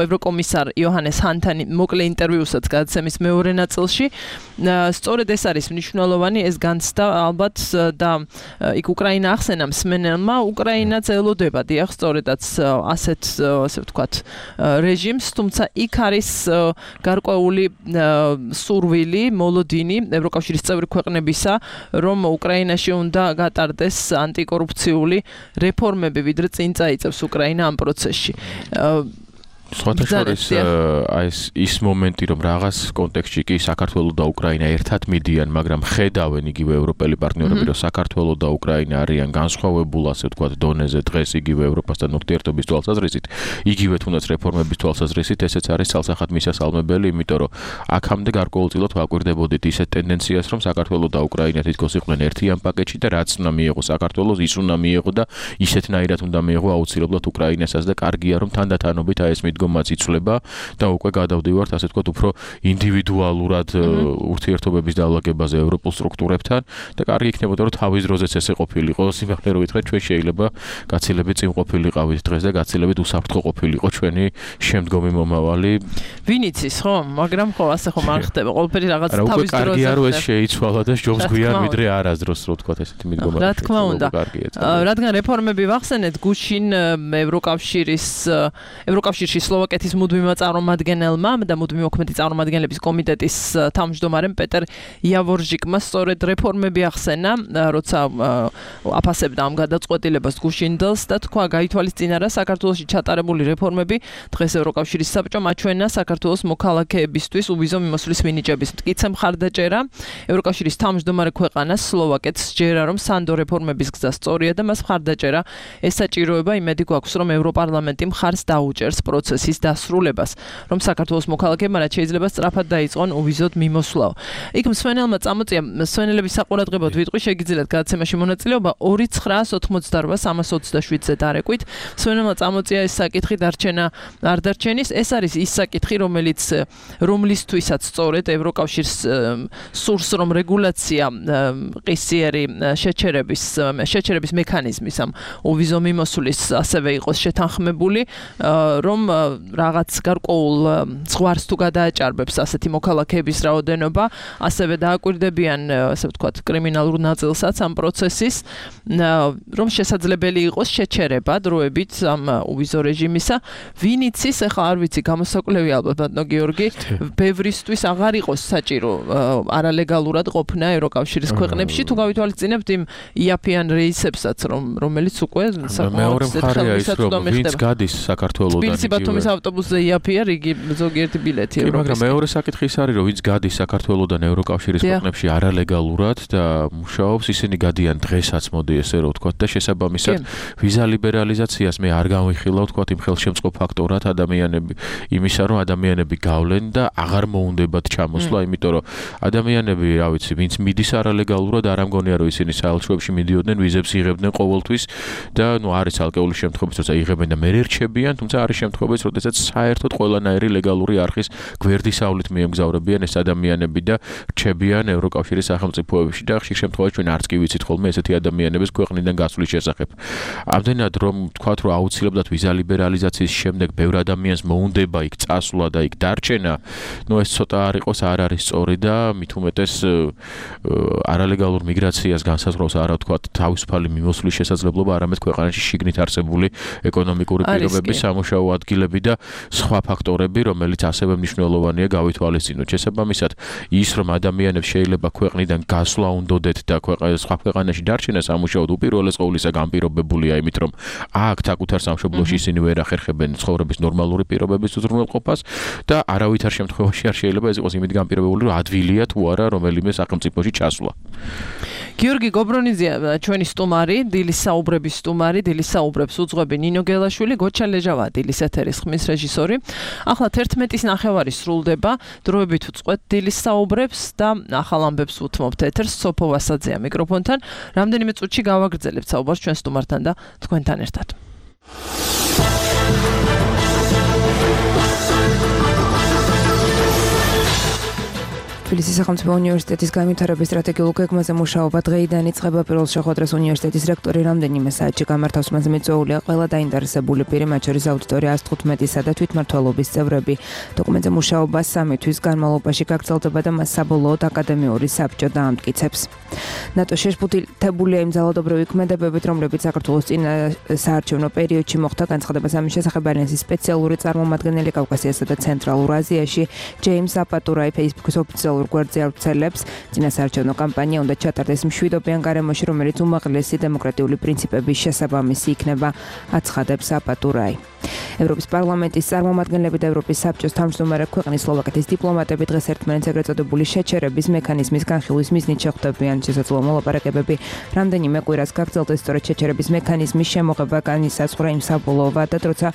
ევროკომისარ იოჰანეს ჰანთან მოკლე ინტერვიუსაც გადაცემის მეორე ნაწილში. სწორედ ეს არის მნიშვნელოვანი ეს განცდა ალბათ და იქ უკრაინა ახსენა მსმენელმა, უკრაინაც ელოდება დიახ სწორედაც ასეთ ასე ვთქვათ რეჟიმს, თუმცა იქ არის გარკვეული სურვილი, მოლოდინი ევროკავშირის წევრი ქვეყნებისა, რომ უკრაინაში უნდა გატარდეს ანტიკორუფციული რეფორმები, ვიდრე წინ წაიწევს უკრაინა ამ პროცესში. სხვათა შორის ის მომენტი, რომ რაღაც კონტექსტში კი საქართველო და უკრაინა ერთად მიდიან, მაგრამ ხედავენ იგივე ევროპელი პარტნიორები, რომ საქართველო და უკრაინა არიან განსხვავებულ, ასე ვთქვათ, დონეზე დღეს იგივე ევროპასთან ურთიერთობის თვალსაზრისით, იგივე თუნდაც რეფორმების თვალსაზრისით, ესეც არის ცალსახად მისასალმებელი, იმიტომ რომ აქამდე გარკვეულწილად ვაკვირდებოდით ისეთ ტენდენციას, რომ საქართველო და უკრაინა თითქოს იყვნენ ერთიან პაკეტში და რაც უნდა მიიღო საქართველოს, ის უნდა მიიღო და ისეთნაირად უნდა მიიღო აუცილებლად უკრაინასაც და კარგია, რომ თანდათანობით აი ეს მიდგომაც იცვლება და უკვე გადავდივართ ასე ვთქვათ უფრო ინდივიდუალურად ურთიერთობების დავლაგებაზე ევროპულ სტრუქტურებთან და კარგი იქნებოდა რომ თავის დროზეც ესე ყოფილიყო, სიმართლე რომ ვითხრათ, ჩვენ შეიძლება გაცილებით წინ ყოფილიყავით დღეს და გაცილებით უსაფრთხო ყოფილიყო ჩვენი შემდგომი მომავალი. ვინ იცის, ხო? მაგრამ ხო ასე ხომ არ ხდება. ყველაფერი რაღაც თავის დროზე. კარგია რომ ეს შეიცვალა და ჯობს გვიან ვიდრე არასდროს რო ვთქვათ ესეთი მიდგომა. რა თქმა უნდა. რადგან რეფორმები ვახსენეთ, გუშინ ევროკავშირში სლოვაკეთის მუდმივმა წარმომადგენელმა და მუდმივ მოქმედი წარმომადგენლების კომიტეტის თავმჯდომარემ პეტერ იავორჟიკმა სწორედ რეფორმები ახსენა, როცა აფასებდა ამ გადაწყვეტილებას გუშინდელს და თქვა, გაითვალისწინა რა საქართველოში ჩატარებული რეფორმები დღეს ევროკავშირის საბჭომ აჩვენა საქართველოს მოქალაქეებისთვის უვიზო მიმოსვლის მინიჭების მტკიცე მხარდაჭერა. ევროკავშირის თავმჯდომარე ქვეყანას სლოვაკეთს ჯერა, რომ სანდო რეფორმების გზა სწორია და მას მხარდაჭერა ესაჭიროება, იმედი გვაქვს, რომ ევროპარლამენტი მხარს დაუჭერს პროცესის დასრულებას, რომ საქართველოს მოქალაქეებმა რაც შეიძლება სწრაფად დაიწყონ უვიზოდ მიმოსვლაო. იქ მსმენელმა წამოწია, მსმენელების საყურადღებოდ ვიტყვი, შეგიძლიათ გადაცემაში მონაწილეობა 2922327-ზე დარეკვით. მსმენელმა წამოწია ეს საკითხი დარჩენა არ დარჩენის, ეს არის ის საკითხი, რომლისთვისაც სწორედ ევროკავშირს სურს, რომ რეგულაცია ყისიერი შეჩერების მექანიზმის ამ უვიზო მიმოსვლის ასევე იყოს შეთანხმებული, რომ რაღაც გარკვეულ ზღვარს თუ გადააჭარბებს ასეთი მოქალაქეების რაოდენობა, ასევე დააკვირდებიან, ასე ვთქვათ, კრიმინალურ ნაწილსაც ამ პროცესის, რომ შესაძლებელი იყოს შეჩერება დროებით ამ უვიზო რეჟიმისა. ვინ იცის, ეხლა არ ვიცი, გამოსაკვლევი ალბათ ბატონო გიორგი, ბევრისთვის აღარ იყოს საჭირო არალეგალურად ყოფნა ევროკავშირის ქვეყნებში, თუ გავითვალისწინებთ იმ იაფიან რეისებსაც, რომელიც უკვე მეორე მხარეა ის, რომ ვინც გადის საქართველოდან ბათუმის ავტობუსზე იაფია რიგი ზოგიერთი ბილეთი ევროპის. მაგრამ მეორე საკითხი ის არის, რომ ვინც გადის საქართველოდან ევროკავშირის ქვეყნებში არალეგალურად და მუშაობს, ისინი გადიან დღესაც, მოდი ესე რომ ვთქვათ და შესაბამისად ვიზა ლიბერალიზაციას მე არ გამვიხილა ვთქვათ იმ ხელშემწყობ ფაქტორად ადამიანები იმისა, რომ ადამიანები გავლენ და აღარ მოუნდებათ ჩამოსვლა, იმიტომ რომ ადამიანები, რა ვიცი, ვინც მიდის არალეგალურად, არ ამგონია რომ ისინი საელჩოებში მიდიოდნენ, ვიზებს იღებდნენ ყოველთვის და არის ალკეული შემთხვევები, როცა იღებენ და მე რჩებიან, თუმცა არის შემთხვევები, შემთხვევაში, როდესაც საერთოდ ყველანაირი ლეგალური არხის გვერდისავლით მიემგზავრებიან ეს ადამიანები და რჩებიან ევროკავშირის სახელმწიფოებში და ხშირ შემთხვევაში ჩვენ არც კი ვიცით ხოლმე ესეთი ადამიანების ქვეყნიდან გასვლის შესახებ. ამდენად რომ თქვათ, რომ აუცილებლად ვიზა ლიბერალიზაციის შემდეგ ბევრ ადამიანს მოუნდება იქ წასვლა და იქ დარჩენა, ეს ცოტა არ იყოს, არ არის სწორი და მით უმეტეს არალეგალურ მიგრაციას განსაზღვრავს არა თქვათ თავისუფალი მიმოსვლის შესაძლებლობა, არამედ ქვეყანაში შიგნით არსებული ეკონომიკური პირობები, სამუშაო ადგილები და სხვა ფაქტორები, რომელიც ასევე მნიშვნელოვანია გავითვალისწინოთ. შესაბამისად, ის რომ ადამიანებს შეიძლება ქვეყნიდან გასვლა უნდოდეთ და სხვა ქვეყანაში დარჩენა სამუშაოდ უპირველეს ყოვლისა განპირობებულია იმით, რომ აქ საკუთარ სამშობლოში ისინი ვერ ახერხებენ ცხოვრების ნორმალური პირობების უზრუნველყოფას და არავითარ შემთხვევაში არ შეიძლება ეს იყოს იმით განპირობებული, რომ ადვილია თუ არა რომელიმე სახელმწიფოში ჩასვლა. გიორგი გობრონიძე ჩვენი სტუმარი, დილის საუბრების სტუმარი, დილის საუბრებს უძღვები ნინო გელაშვილი, გოჩა ლეჟავა დილის ეთერის ხმის რეჟისორი. ახლა 11:09 სრულდება, დროებით უძღვეთ დილის საუბრებს და ახალ ამბებს უთმობთ ეთერს. სოფო ვასაძეა მიკროფონთან. რამდენიმე წუთში გავაგრძელებთ საუბარს ჩვენ სტუმართან და თქვენთან ერთად. თბილისის სახელმწიფო უნივერსიტეტის განვითარების სტრატეგიულ გეგმაზე მუშაობა დღეიდან იწყება. პირველ შეხვედრას უნივერსიტეტის რექტორი რამდენიმე საათში გამართავს. მასზე მიწვეულია ყველა დაინტერესებული პირი, მათ შორის აუდიტორია 115-ისა და თვითმმართველობის წევრები. დოკუმენტზე მუშაობა 3 თვის განმავლობაში გაგრძელდება და მას საბოლოოდ აკადემიური საბჭო დაამტკიცებს. ნატო შეშფუთებულია იმ ძალადობრივი ქმედებებით, რომლებიც საქართველოს წინა საარჩევნო პერიოდში მოხდა. განცხადებას ამის შესახებ ალიანსის სპეციალური წარმომადგენელი კავკასიასა და ცენტრალურ აზიაში ჯეიმს აპატურაი Facebook-ის ოფიციალურ გვერდზე ავრცელებს. წინასაარჩევნო კამპანია უნდა ჩატარდეს მშვიდობიან გარემოში, რომელიც უმაღლესი დემოკრატიული პრინციპების შესაბამისი იქნება, აცხადებს აპატურაი. ევროპის პარლამენტის წარმომადგენლები და ევროპის საბჭოს თავმჯდომარე ქვეყნის სლოვაკეთის დიპლომატები დღეს ერთმანეთს ეგრეთ წოდებული შეჩერების მექანიზმის განხილვის მიზნით შეხვდებიან. შესაძლოა მოლაპარაკებები რამდენიმე კვირას გაგრძელდეს. სწორედ შეჩერების მექანიზმის შემოღება განისაზღვრა იმ საბოლოო ვადად, როცა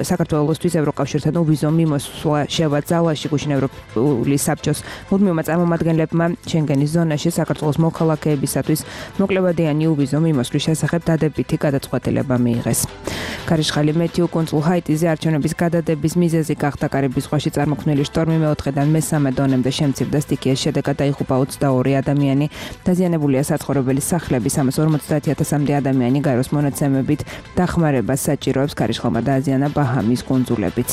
საქართველოსთვის ევროკავშირთან უვიზო მიმოსვლა შევაძალაში გუშინ ევროპული საბჭოს მუდმივმა წარმომადგენლებმა შენგენის ზონაში საქართველოს მოქალაქეებისათვის მოკლევადიანი უვიზო მიმოსვლის შესახებ დადებითი გადაწყვეტილება მიიღეს. ქარიშხალი მეთიუ კუნძულ ჰაიტიზე არჩევნების გადადების მიზეზი გახდა. კარიბის ზღვაში წარმოქმნილი შტორმი მეოთხედან მესამე დონემდე შემცირდა. სტიქიის შედეგად დაიღუპა 22 ადამიანი. დაზიანებულია საცხოვრებელი სახლები, 350,000-მდე ადამიანი გაეროს მონაცემებით დახმარებას საჭიროებს. ქარიშხალმა დააზიანა ბაჰამის კუნძულებიც.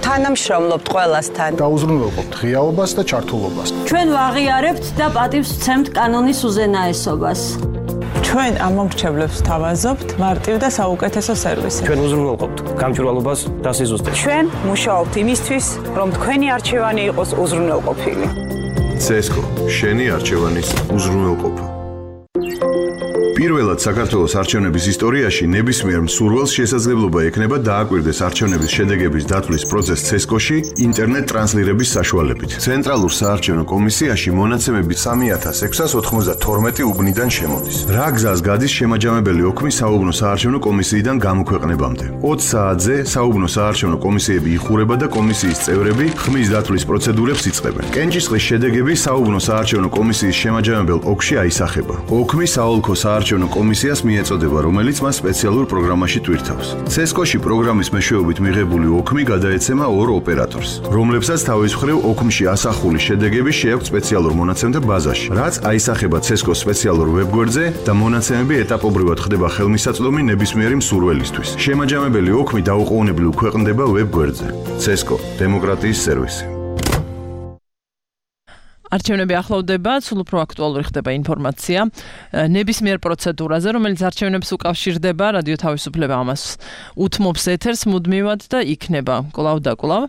თანამშრომლობთ ყველასთან. დაუზრუნველყოფთ ღიაობას და ჩართულობას. ჩვენ ვაღიარებთ და პატივს ვცემთ კანონის უზენაესობას. ჩვენ ამ მომრჩევლებს თავაზობთ მარტივ და საუკეთესო სერვისი. ჩვენ უზრუნველყოფთ გამჭვირვალობას და სიზუსტეს. ჩვენ მუშაობთ იმისთვის, რომ თქვენი არჩევანი იყოს უზრუნველყოფილი. CESCO, შენი არჩევანის უზრუნველყოფა. პირველად საქართველოს არჩევნების ისტორიაში ნებისმიერ მსურველს შესაძლებლობა ექნება დააკვირდეს არჩევნების შედეგების დათვლის პროცესს CESCO-ში ინტერნეტ ტრანსლირების საშუალებით. ცენტრალურ საარჩევნო კომისიაში მონაცემები 3692 უბნიდან შემოდის. რა გზას გადის შემაჯამებელი ოქმი საუბნო საარჩევნო კომისიიდან გამოქვეყნებამდე. 20 საათზე საუბნო საარჩევნო კომისიები იხურება და კომისიის წევრები ხმის დათვლის პროცედურებს იწყებენ. კენჭისყრის შედეგები საუბნო საარჩევნო კომისიის შემაჯამებელ ოკში აისახება. ოქმი საოლქო საარჩევნო კომისიას მიეწოდება, რომელიც მას სპეციალურ პროგრამაში ტვირთავს. CESCO-ში პროგრამის მეშვეობით მიღებული ოქმი გადაეცემა ორ ოპერატორს, რომლებსაც თავის მხრივ ოქმში ასახული შედეგები შეაქვთ სპეციალურ მონაცემთა ბაზაში, რაც აისახება CESCO-s სპეციალურ ვებგვერდზე და მონაცემები ეტაპობრივად ხდება ხელმისაწვდომი ნებისმიერი მსურველისთვის. შემაჯამებელი ოქმი დაუყოვნებლივ ქვეყნდება ვებგვერდზე. CESCO დემოკრატიის სერვისი. არჩევნები ახლოვდება, სულ უფრო აქტუალური ხდება ინფორმაცია ნებისმიერ პროცედურაზე, რომელიც არჩევნებს უკავშირდება. რადიო თავისუფლება ამას უთმობს ეთერს მუდმივად და იქნება კვლავ და კვლავ.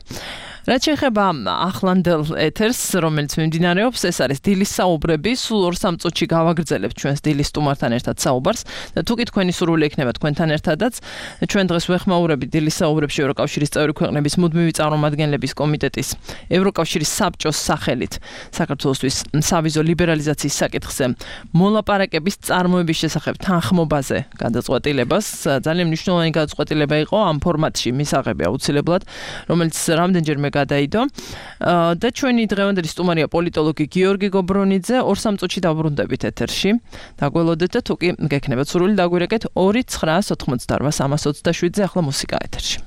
რაც შეეხება ახლანდელ ეთერს, რომელიც მიმდინარეობს, ეს არის დილის საუბრები, სულ 2-3 წუთში გავაგრძელებთ ჩვენს დილის სტუმართან ერთად საუბარს და თუ კი თქვენი სურვილი ექნება თქვენთან ერთადაც, ჩვენ დღეს ვეხმაურებით დილის საუბრებში ევროკავშირის წევრი ქვეყნების მუდმივი წარმომადგენლების კომიტეტის ევროკავშირის საბჭოს სახელით საქართველოსთვის სავიზო ლიბერალიზაციის საკითხზე მოლაპარაკების წარმოების შესახებ თანხმობაზე გადაწყვეტილებას. ძალიან მნიშვნელოვანი გადაწყვეტილება იყო ამ ფორმატში მისაღები აუცილებლად, რომელიც რამდენჯერმე გადაიდო და ჩვენი დღევანდელი სტუმარია პოლიტოლოგი გიორგი გობრონიძე. 2-3 წუთში დავბრუნდებით ეთერში. დაგველოდეთ და თუ კი გექნებათ სურვილი დაგვირეკეთ 2-988-327-ზე ახლა მუსიკა ეთერში.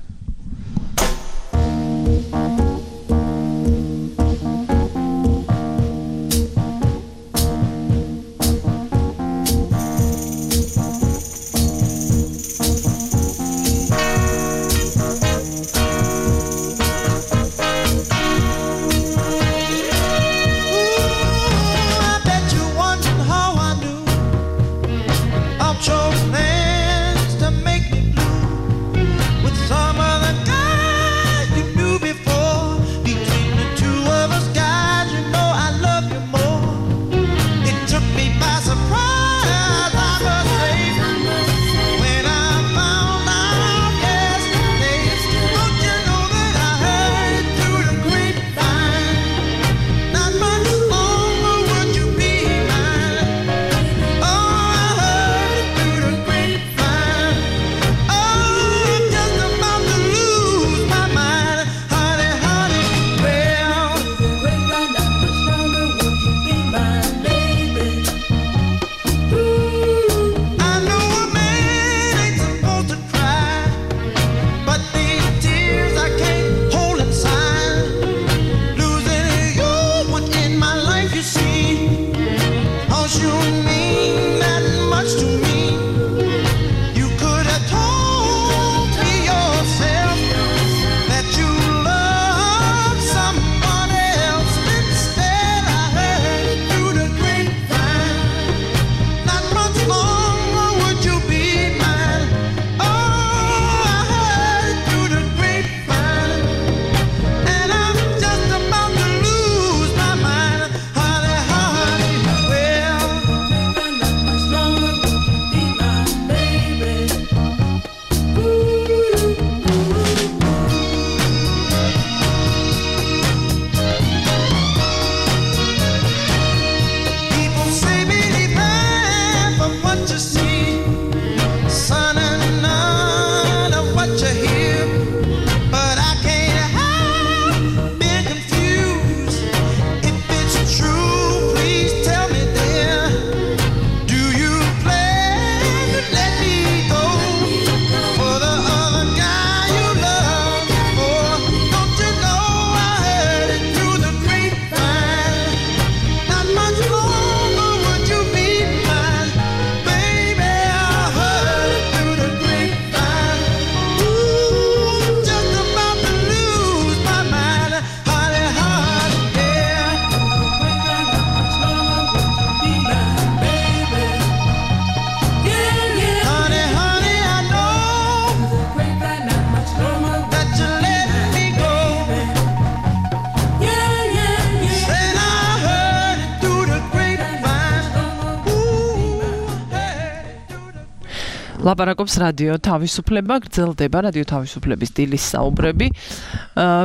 ლაპარაკობს რადიო თავისუფლება, გრძელდება რადიო თავისუფლების დილის საუბრები,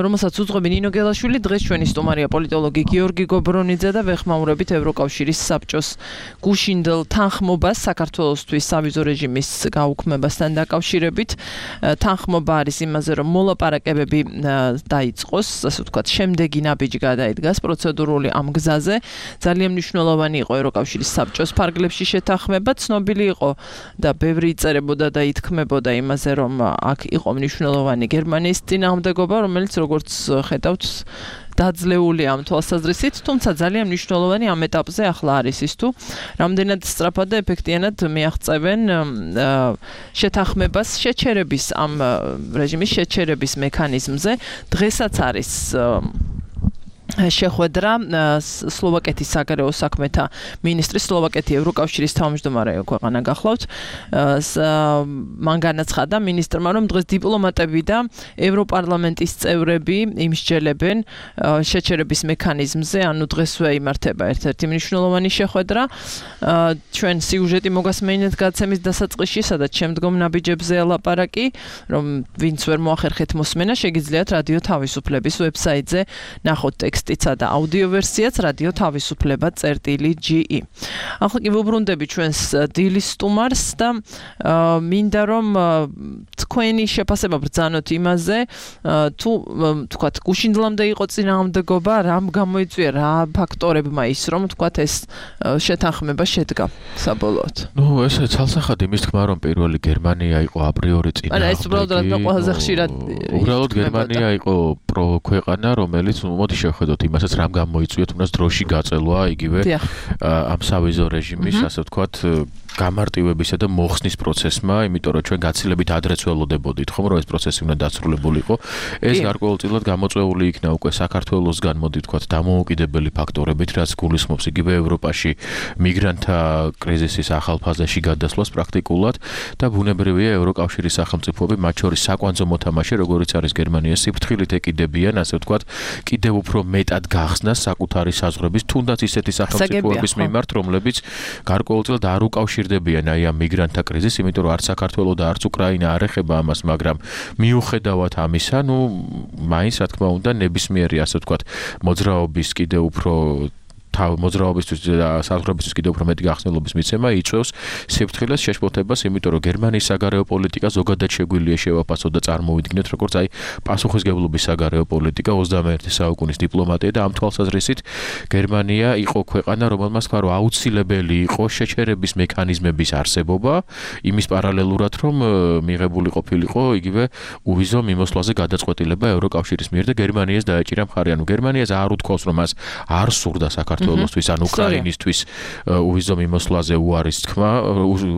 რომელსაც უძღვები ნინო გელაშვილი. დღეს ჩვენი სტუმარია პოლიტოლოგი გიორგი გობრონიძე და ვეხმაურებით ევროკავშირის საბჭოს გუშინდელ თანხმობას საქართველოსთვის სავიზო რეჟიმის გაუქმებასთან დაკავშირებით. თანხმობა არის იმაზე, რომ მოლაპარაკებები დაიწყოს, ასე ვთქვათ, შემდეგი ნაბიჯი გადაიდგას პროცედურული ამ გზაზე. ძალიან მნიშვნელოვანი იყო ევროკავშირის საბჭოს ფარგლებში შეთანხმება, ცნობილი იყო და ბევრი წერებოდა და ითქმებოდა იმაზე, რომ აქ იყო მნიშვნელოვანი გერმანიის წინააღმდეგობა, რომელიც როგორც ხედავთ დაძლეული ამ თვალსაზრისით, თუმცა ძალიან მნიშვნელოვანი ამ ეტაპზე ახლა არის ის თუ რამდენად სწრაფად და ეფექტიანად მიაღწევენ შეთანხმებას შეჩერების ამ რეჟიმის შეჩერების მექანიზმზე. დღესაც არის შეხვედრა სლოვაკეთის საგარეო საქმეთა მინისტრის სლოვაკეთი ევროკავშირის თავმჯდომარე ქვეყანა გახლავთ. მან განაცხადა მინისტრმა, რომ დღეს დიპლომატები და ევროპარლამენტის წევრები იმსჯელებენ შეჩერების მექანიზმზე, ანუ დღესვე იმართება ერთ-ერთი მნიშვნელოვანი შეხვედრა. ჩვენ სიუჟეტი მოგასმენთ გადაცემის დასაწყისში, სადაც შემდგომ ნაბიჯებზე ელაპარაკი, რომ ვინც ვერ მოახერხეთ მოსმენა, შეგიძლიათ რადიო თავისუფლების ვებსაიტზე ნახოთ ტექსტიცა და აუდიო ვერსიაც რადიო თავისუფლება.ge. ახლა კი ვუბრუნდები ჩვენს დილის სტუმარს და მინდა რომ თქვენი შეფასება ბრძანოთ იმაზე, თუ თქვათ გუშინდლამდე იყო წინააღმდეგობა, რამ გამოიწვია, რა ფაქტორებმა ის რომ თქვათ ეს შეთანხმება შედგა საბოლოოდ. ეს ცალსახად იმის თქმა რომ პირველი გერმანია იყო აპრიორი წინააღმდეგი. ეს უბრალოდ ყველაზე ხშირად უბრალოდ გერმანია იყო პროქვეყანა, რომელიც მოდი შევხედოთ იმასაც რამ გამოიწვია თუნდაც დროში გაწელვა იგივე ამ სავიზო რეჟიმის ასე ვთქვათ გამარტივებისა და მოხსნის პროცესმა, იმიტომ რომ ჩვენ გაცილებით ადრეც ველოდებოდით, ხომ რომ ეს პროცესი უნდა დაცრულებულიყო. ეს გარკვეულწილად გამოწვეული იქნა უკვე საქართველოსგან, მოდი ვთქვათ, დამოუკიდებელი ფაქტორებით, რაც გულისხმობს იგივე ევროპაში მიგრანტთა კრიზისის ახალ ფაზაში გადასვლას პრაქტიკულად და ბუნებრივია ევროკავშირის სახელმწიფოები, მათ შორის საკვანძო მოთამაშე, როგორც არის გერმანია, სიფრთხილით ეკიდებიან, ასე ვთქვათ, კიდევ უფრო მეტად გახსნას საკუთარი საზღვრების, თუნდაც ისეთი სახელმწიფოების მიმართ, რომლებიც გარკვეულწილად არ უკავშირდებიან აი ამ მიგრანტთა კრიზისს, იმიტომ რომ არც საქართველო და არც უკრაინა არ ეხება ამას, მაგრამ მიუხედავად ამისა, მაინც რა თქმა უნდა, ნებისმიერი ასე ვთქვათ, მოძრაობის კიდევ უფრო მოძრაობისთვის და საზღვრებისთვის კიდევ უფრო მეტი გახსნილობის მიცემა იწვევს სიფრთხილეს შეშფოთებას, იმიტომ რომ გერმანიის საგარეო პოლიტიკა ზოგადად შეგვიძლია შევაფასოთ და წარმოვიდგინოთ, როგორც აი პასუხისგებლობის საგარეო პოლიტიკა 21 საუკუნის დიპლომატია და ამ თვალსაზრისით გერმანია იყო ქვეყანა, რომელმაც თქვა, რომ აუცილებელი იყო შეჩერების მექანიზმების არსებობა, იმის პარალელურად, რომ მიღებული ყოფილიყო იგივე უვიზო მიმოსვლაზე გადაწყვეტილება ევროკავშირის მიერ და გერმანიას დაეჭირა მხარი, ანუ გერმანიას არ უთქვავს, რომ მას არ სურდა საქართველოსთვის ან უკრაინისთვის უვიზო მიმოსვლაზე უარის თქმა,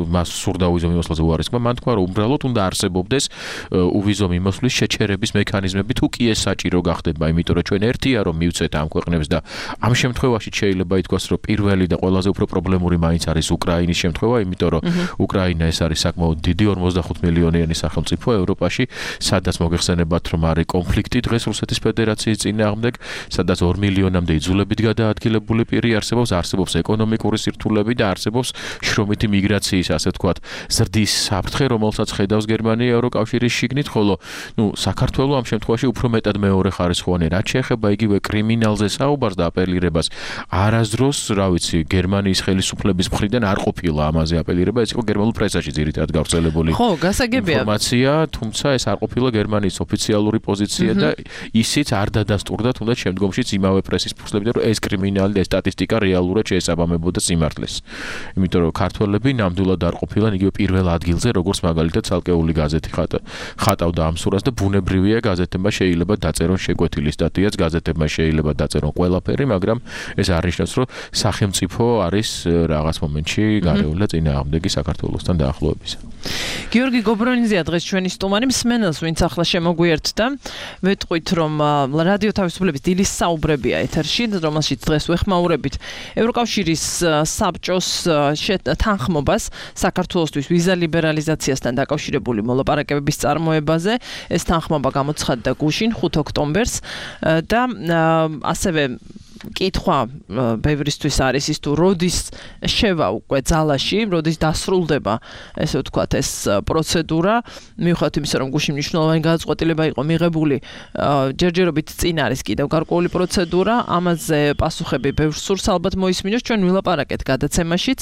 მას სურდა უვიზო მიმოსვლაზე უარის თქმა, მან თქვა, რომ უბრალოდ უნდა არსებობდეს უვიზო მიმოსვლის შეჩერების მექანიზმები, თუ კი ეს საჭირო გახდება, იმიტომ რომ ჩვენ ერთია რომ მივცეთ ამ ქვეყნებს და ამ შემთხვევაში შეიძლება ითქვას, რომ პირველი და ყველაზე უფრო პრობლემური მაინც არის უკრაინის შემთხვევა, იმიტომ რომ უკრაინა ეს არის საკმაოდ დიდი 45 მილიონიანი სახელმწიფო ევროპაში, სადაც მოგეხსენებათ, რომ არის კონფლიქტი დღეს რუსეთის ფედერაციის წინააღმდეგ, სადაც 2 მილიონამდე იძულებით გადაადგილებული პირი არსებობს ეკონომიკური სირთულეები და არსებობს შრომითი მიგრაციის, ასე ვთქვათ, ზრდის საფრთხე, რომელსაც ხედავს გერმანია ევროკავშირის შიგნით, ხოლო საქართველო ამ შემთხვევაში უფრო მეტად მეორე ხარისხოვანი, რაც შეეხება იგივე კრიმინალზე საუბარს და აპელირებას, არასდროს, რა ვიცი, გერმანიის ხელისუფლების მხრიდან არ ყოფილა ამაზე აპელირება, ეს იყო გერმანულ პრესაში ძირითადად გავრცელებული ინფორმაცია, თუმცა ეს არ ყოფილა გერმანიის ოფიციალური პოზიცია და ისიც არ დადასტურდა თუნდაც შემდგომშიც იმავე პრესის ფურცლებით, რომ ეს კრიმინალი და სტატისტიკა რეალურად შეესაბამებოდა სიმართლეს. იმიტომ რომ ქართველები ნამდვილად არ ყოფილან იგივე პირველ ადგილზე, როგორც მაგალითად ცალკეული გაზეთი ხატავდა ამ სურათს და ბუნებრივია გაზეთებმა შეიძლება დაწერონ შეკვეთილი სტატიაც, გაზეთებმა შეიძლება დაწერონ ყველაფერი, მაგრამ ეს არ ნიშნავს, რომ სახელმწიფო არის რაღაც მომენტში გარეული და წინააღმდეგი საქართველოსთან დაახლოებისა. გიორგი გობრონიზია დღეს ჩვენი სტუმარი, მსმენელს ვინც ახლა შემოგვიერთდა, ვეტყვით რომ რადიო თავისუფლების დილის საუბრებია ეთერში, რომელშიც დღეს ვეხმაურებით ევროკავშირის საბჭოს თანხმობას საქართველოსთვის ვიზა ლიბერალიზაციასთან დაკავშირებული მოლაპარაკებების წარმოებაზე. ეს თანხმობა გამოცხადდა გუშინ 5 ოქტომბერს და ასევე კითხვა ბევრისთვის არის ის თუ როდის შევა უკვე ძალაში, როდის დასრულდება ესე ვთქვათ ეს პროცედურა, მიუხედავად იმისა, რომ გუშინ მნიშვნელოვანი გადაწყვეტილება იყო მიღებული, ჯერჯერობით წინ არის კიდევ გარკვეული პროცედურა, ამაზე პასუხები ბევრს სურს ალბათ მოისმინოს, ჩვენ ვილაპარაკეთ გადაცემაშიც.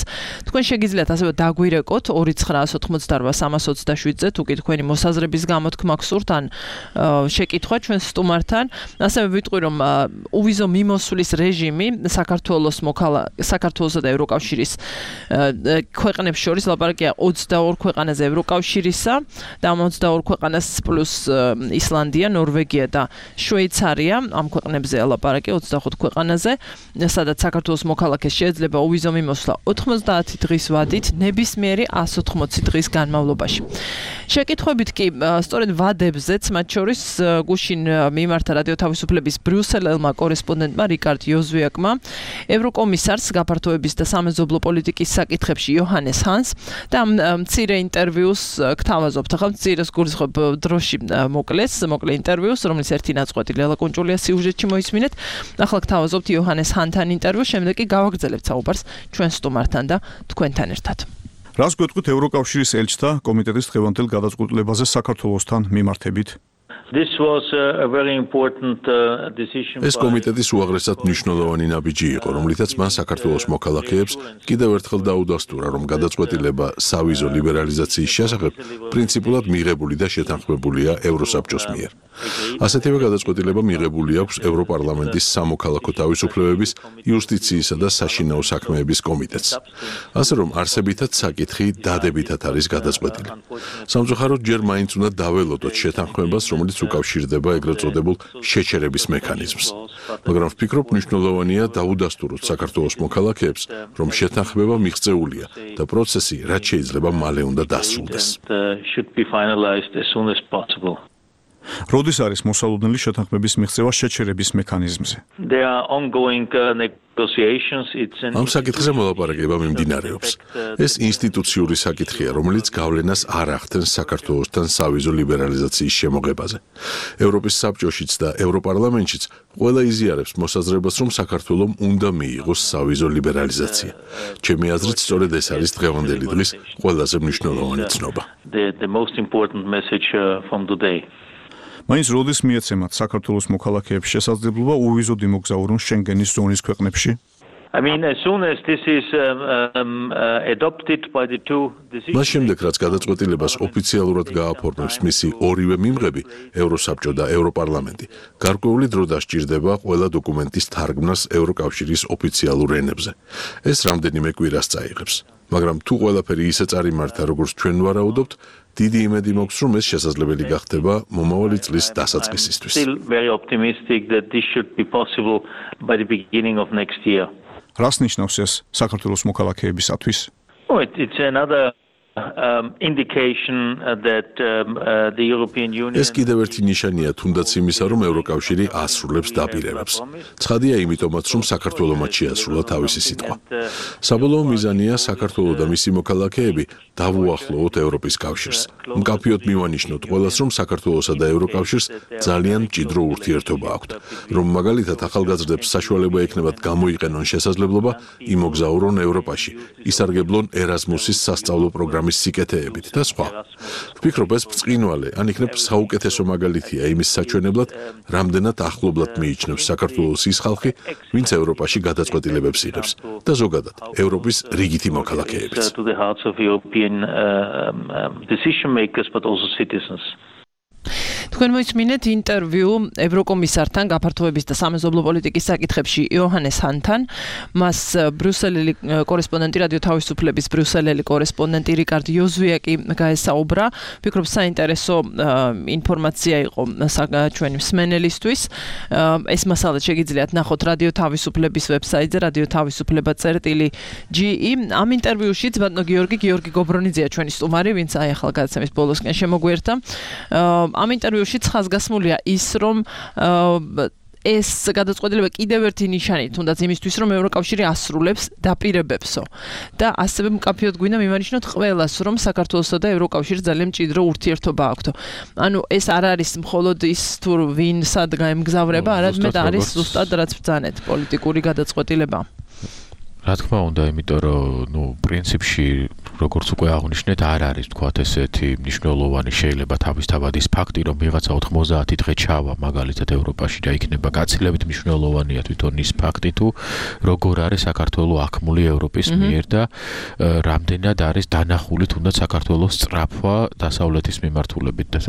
თქვენ შეგიძლიათ ასევე დაგვირეკოთ 2988-327-ზე, თუ კი თქვენი მოსაზრების გამოთქმა გსურთ ან შეკითხვა ჩვენ სტუმართან. ასევე ვიტყვი რომ უვიზო მიმოსვლის არის რეჟიმი საქართველოსა და ევროკავშირის ქვეყნებს შორის ლაპარაკია 22 ქვეყანაზე ევროკავშირისა და ამ 22 ქვეყანას პლუს ისლანდია, ნორვეგია და შვეიცარია, ამ ქვეყნებზე ლაპარაკია 25 ქვეყანაზე, სადაც საქართველოს მოქალაქეს შეიძლება უვიზო მიმოსვლა 90 დღის ვადით ნებისმიერი 180 დღის განმავლობაში. შეკითხვებით კი სწორედ ვადებზეც, მათ შორის გუშინ მიმართა რადიო თავისუფლების ბრიუსელელმა კორესპონდენტმა რიკარდ იოზვიაკმა, ევროკომისარს გაფართოების და სამეზობლო პოლიტიკის საკითხებში იოჰანეს ჰანს და მცირე ინტერვიუს გთავაზობთ. ახლა მცირეს გულისხმობ დროში მოკლე ინტერვიუს, რომლის ერთი ნაწყვეტი ლელა კუნჭულია სიუჟეტში მოისმინეთ. ახლა გთავაზობთ იოჰანეს ჰანთან ინტერვიუს, შემდეგ კი გავაგრძელებთ საუბარს ჩვენ სტუმართან და თქვენთან ერთად. რას გვეტყვით ევროკავშირის ელჩთა კომიტეტის დღევანდელ გადაწყვეტილებაზე საქართველოსთან მიმართებით? ეს კომიტეტის უაღრესად მნიშვნელოვანი ნაბიჯი იყო, რომლითაც მან საქართველოს მოქალაქეებს კიდევ ერთხელ დაუდასტურა, რომ გადაწყვეტილება სავიზო ლიბერალიზაციის შესახებ პრინციპულად მიღებული და შეთანხმებულია ევროსაბჭოს მიერ. ასეთივე გადაწყვეტილება მიღებული აქვს ევროპარლამენტის სამოქალაქო თავისუფლებების, იუსტიციისა და საშინაო საქმეების კომიტეტს. ასე რომ არსებითად საკითხი დადებითად არის გადაწყვეტილი. სამწუხაროდ ჯერ მაინც უნდა დაველოდოთ შეთანხმებას, რომელიც უკავშირდება ეგრეთ წოდებულ შეჩერების მექანიზმს. მაგრამ ვფიქრობ, მნიშვნელოვანია დაუდასტუროთ საქართველოს მოქალაქეებს, რომ შეთანხმება მიღწეულია და პროცესი რაც შეიძლება მალე უნდა დასრულდეს. როდის არის მოსალოდნელი შეთანხმების მიღწევა შეჩერების მექანიზმზე? ამ საკითხზე მოლაპარაკება მიმდინარეობს. ეს ინსტიტუციური საკითხია, რომელიც გავლენას არ ახდენს საქართველოსთან სავიზო ლიბერალიზაციის შემოღებაზე. ევროპის საბჭოშიც და ევროპარლამენტშიც ყველა იზიარებს მოსაზრებას, რომ საქართველომ უნდა მიიღოს სავიზო ლიბერალიზაცია. ჩემი აზრით, სწორედ ეს არის დღევანდელი დღის ყველაზე მნიშვნელოვანი ცნობა. მაინც როდის მიეცემათ საქართველოს მოქალაქეებს შესაძლებლობა უვიზოდ იმოგზაურონ შენგენის ზონის ქვეყნებში? მას შემდეგ, რაც გადაწყვეტილებას ოფიციალურად გააფორმებს მისი ორივე მიმღები, ევროსაბჭო და ევროპარლამენტი, გარკვეული დრო დასჭირდება ყველა დოკუმენტის თარგმნას ევროკავშირის ოფიციალურ ენებზე. ეს რამდენიმე კვირას წაიღებს. მაგრამ თუ ყველაფერი ისე წარიმართა, როგორც ჩვენ ვარაუდობთ, დიდი იმედი მაქვს, რომ ეს შესაძლებელი გახდება მომავალი წლის დასაწყისისთვის. რას ნიშნავს ეს საქართველოს მოქალაქეებისათვის? ეს კიდევ ერთი ნიშანია თუნდაც იმისა, რომ ევროკავშირი ასრულებს დაპირებებს. ცხადია იმიტომაც, რომ საქართველომაც შეასრულა თავისი სიტყვა. საბოლოო მიზანია საქართველო და მისი მოქალაქეები დავუახლოვოთ ევროპის კავშირს. მკაფიოდ მივანიშნოთ ყველას, რომ საქართველოსა და ევროკავშირს ძალიან მჭიდრო ურთიერთობა აქვთ, რომ მაგალითად ახალგაზრდებს საშუალება ექნებათ გამოიყენონ შესაძლებლობა იმოგზაურონ ევროპაში, ისარგებლონ ერაზმუსის სასწავლო პროგრამის სიკეთეებით და სხვა. ვფიქრობ, ეს ბრწყინვალე, ან იქნებ საუკეთესო მაგალითია იმის საჩვენებლად, რამდენად ახლობლად მიიჩნევს საქართველოს ის ხალხი, ვინც ევროპაში გადაწყვეტილებებს იღებს და ზოგადად ევროპის რიგითი მოქალაქეებიც. თქვენ მოისმინეთ ინტერვიუ ევროკომისართან გაფართოების და სამეზობლო პოლიტიკის საკითხებში იოჰანეს ჰანთან, მას ბრიუსელელი კორესპონდენტი რადიო თავისუფლების ბრიუსელელი კორესპონდენტი რიკარდ იოზვიაკი გაესაუბრა. ვფიქრობ, საინტერესო ინფორმაცია იყო ჩვენი მსმენელისთვის. ეს მასალა შეგიძლიათ ნახოთ რადიო თავისუფლების ვებსაიტზე radiotavisupleba.ge. ამ ინტერვიუშიც ბატონო გიორგი გობრონიძეა ჩვენი სტუმარი, ვინც აი ახლა გადაცემის ბოლოსკენ შემოგვიერთა. ამ ინტერვიუშიც ხაზგასმულია ის, რომ ეს გადაწყვეტილება კიდევ ერთი ნიშანი, თუნდაც იმისთვის, რომ ევროკავშირი ასრულებს დაპირებებსო. და ასევე მკაფიოდ გვინდა მივანიშნოთ ყველას, რომ საქართველოსა და ევროკავშირს ძალიან მჭიდრო ურთიერთობა აქვთ. ანუ ეს არ არის მხოლოდ ის თუ ვინ სად გაემგზავრება, არამედ არის ზუსტად რაც ბრძანეთ პოლიტიკური გადაწყვეტილება. რა თქმა უნდა, იმიტომ რომ, პრინციპში როგორც უკვე აღნიშნეთ, არ არის თქვათ ესეთი მნიშვნელოვანი შეიძლება თავისთავად ის ფაქტი, რომ ვიღაცა 90 დღე ჩავა მაგალითად ევროპაში და იქნება გაცილებით მნიშვნელოვანია თვითონ ის ფაქტი თუ როგორ არის საქართველოს აქმული ევროპის მიერ და რამდენად არის დანახული თუნდაც საქართველოს სწრაფვა დასავლეთის მიმართულებით და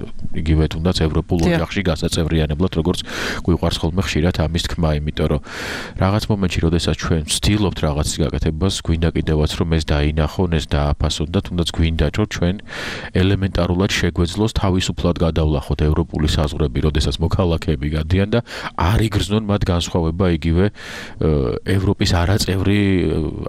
იგივე თუნდაც ევროპულ ოჯახში გასაწევრიანებლად როგორც გვიყვარს ხოლმე ხშირად ამის თქმა, იმიტომ რომ რაღაც მომენტში, როდესაც ჩვენ ვცდილობთ რაღაცის გაკეთებას, გვინდა კიდევაც რომ ეს დაინახონ, ეს დააფასონ და თუნდაც გვინდა რომ ჩვენ ელემენტარულად შეგვეძლოს თავისუფლად გადავლახოთ ევროპული საზღვრები, როდესაც მოქალაქეები გადიან და არ იგრძნონ მათ განსხვავება იგივე ევროპის არაწევრი,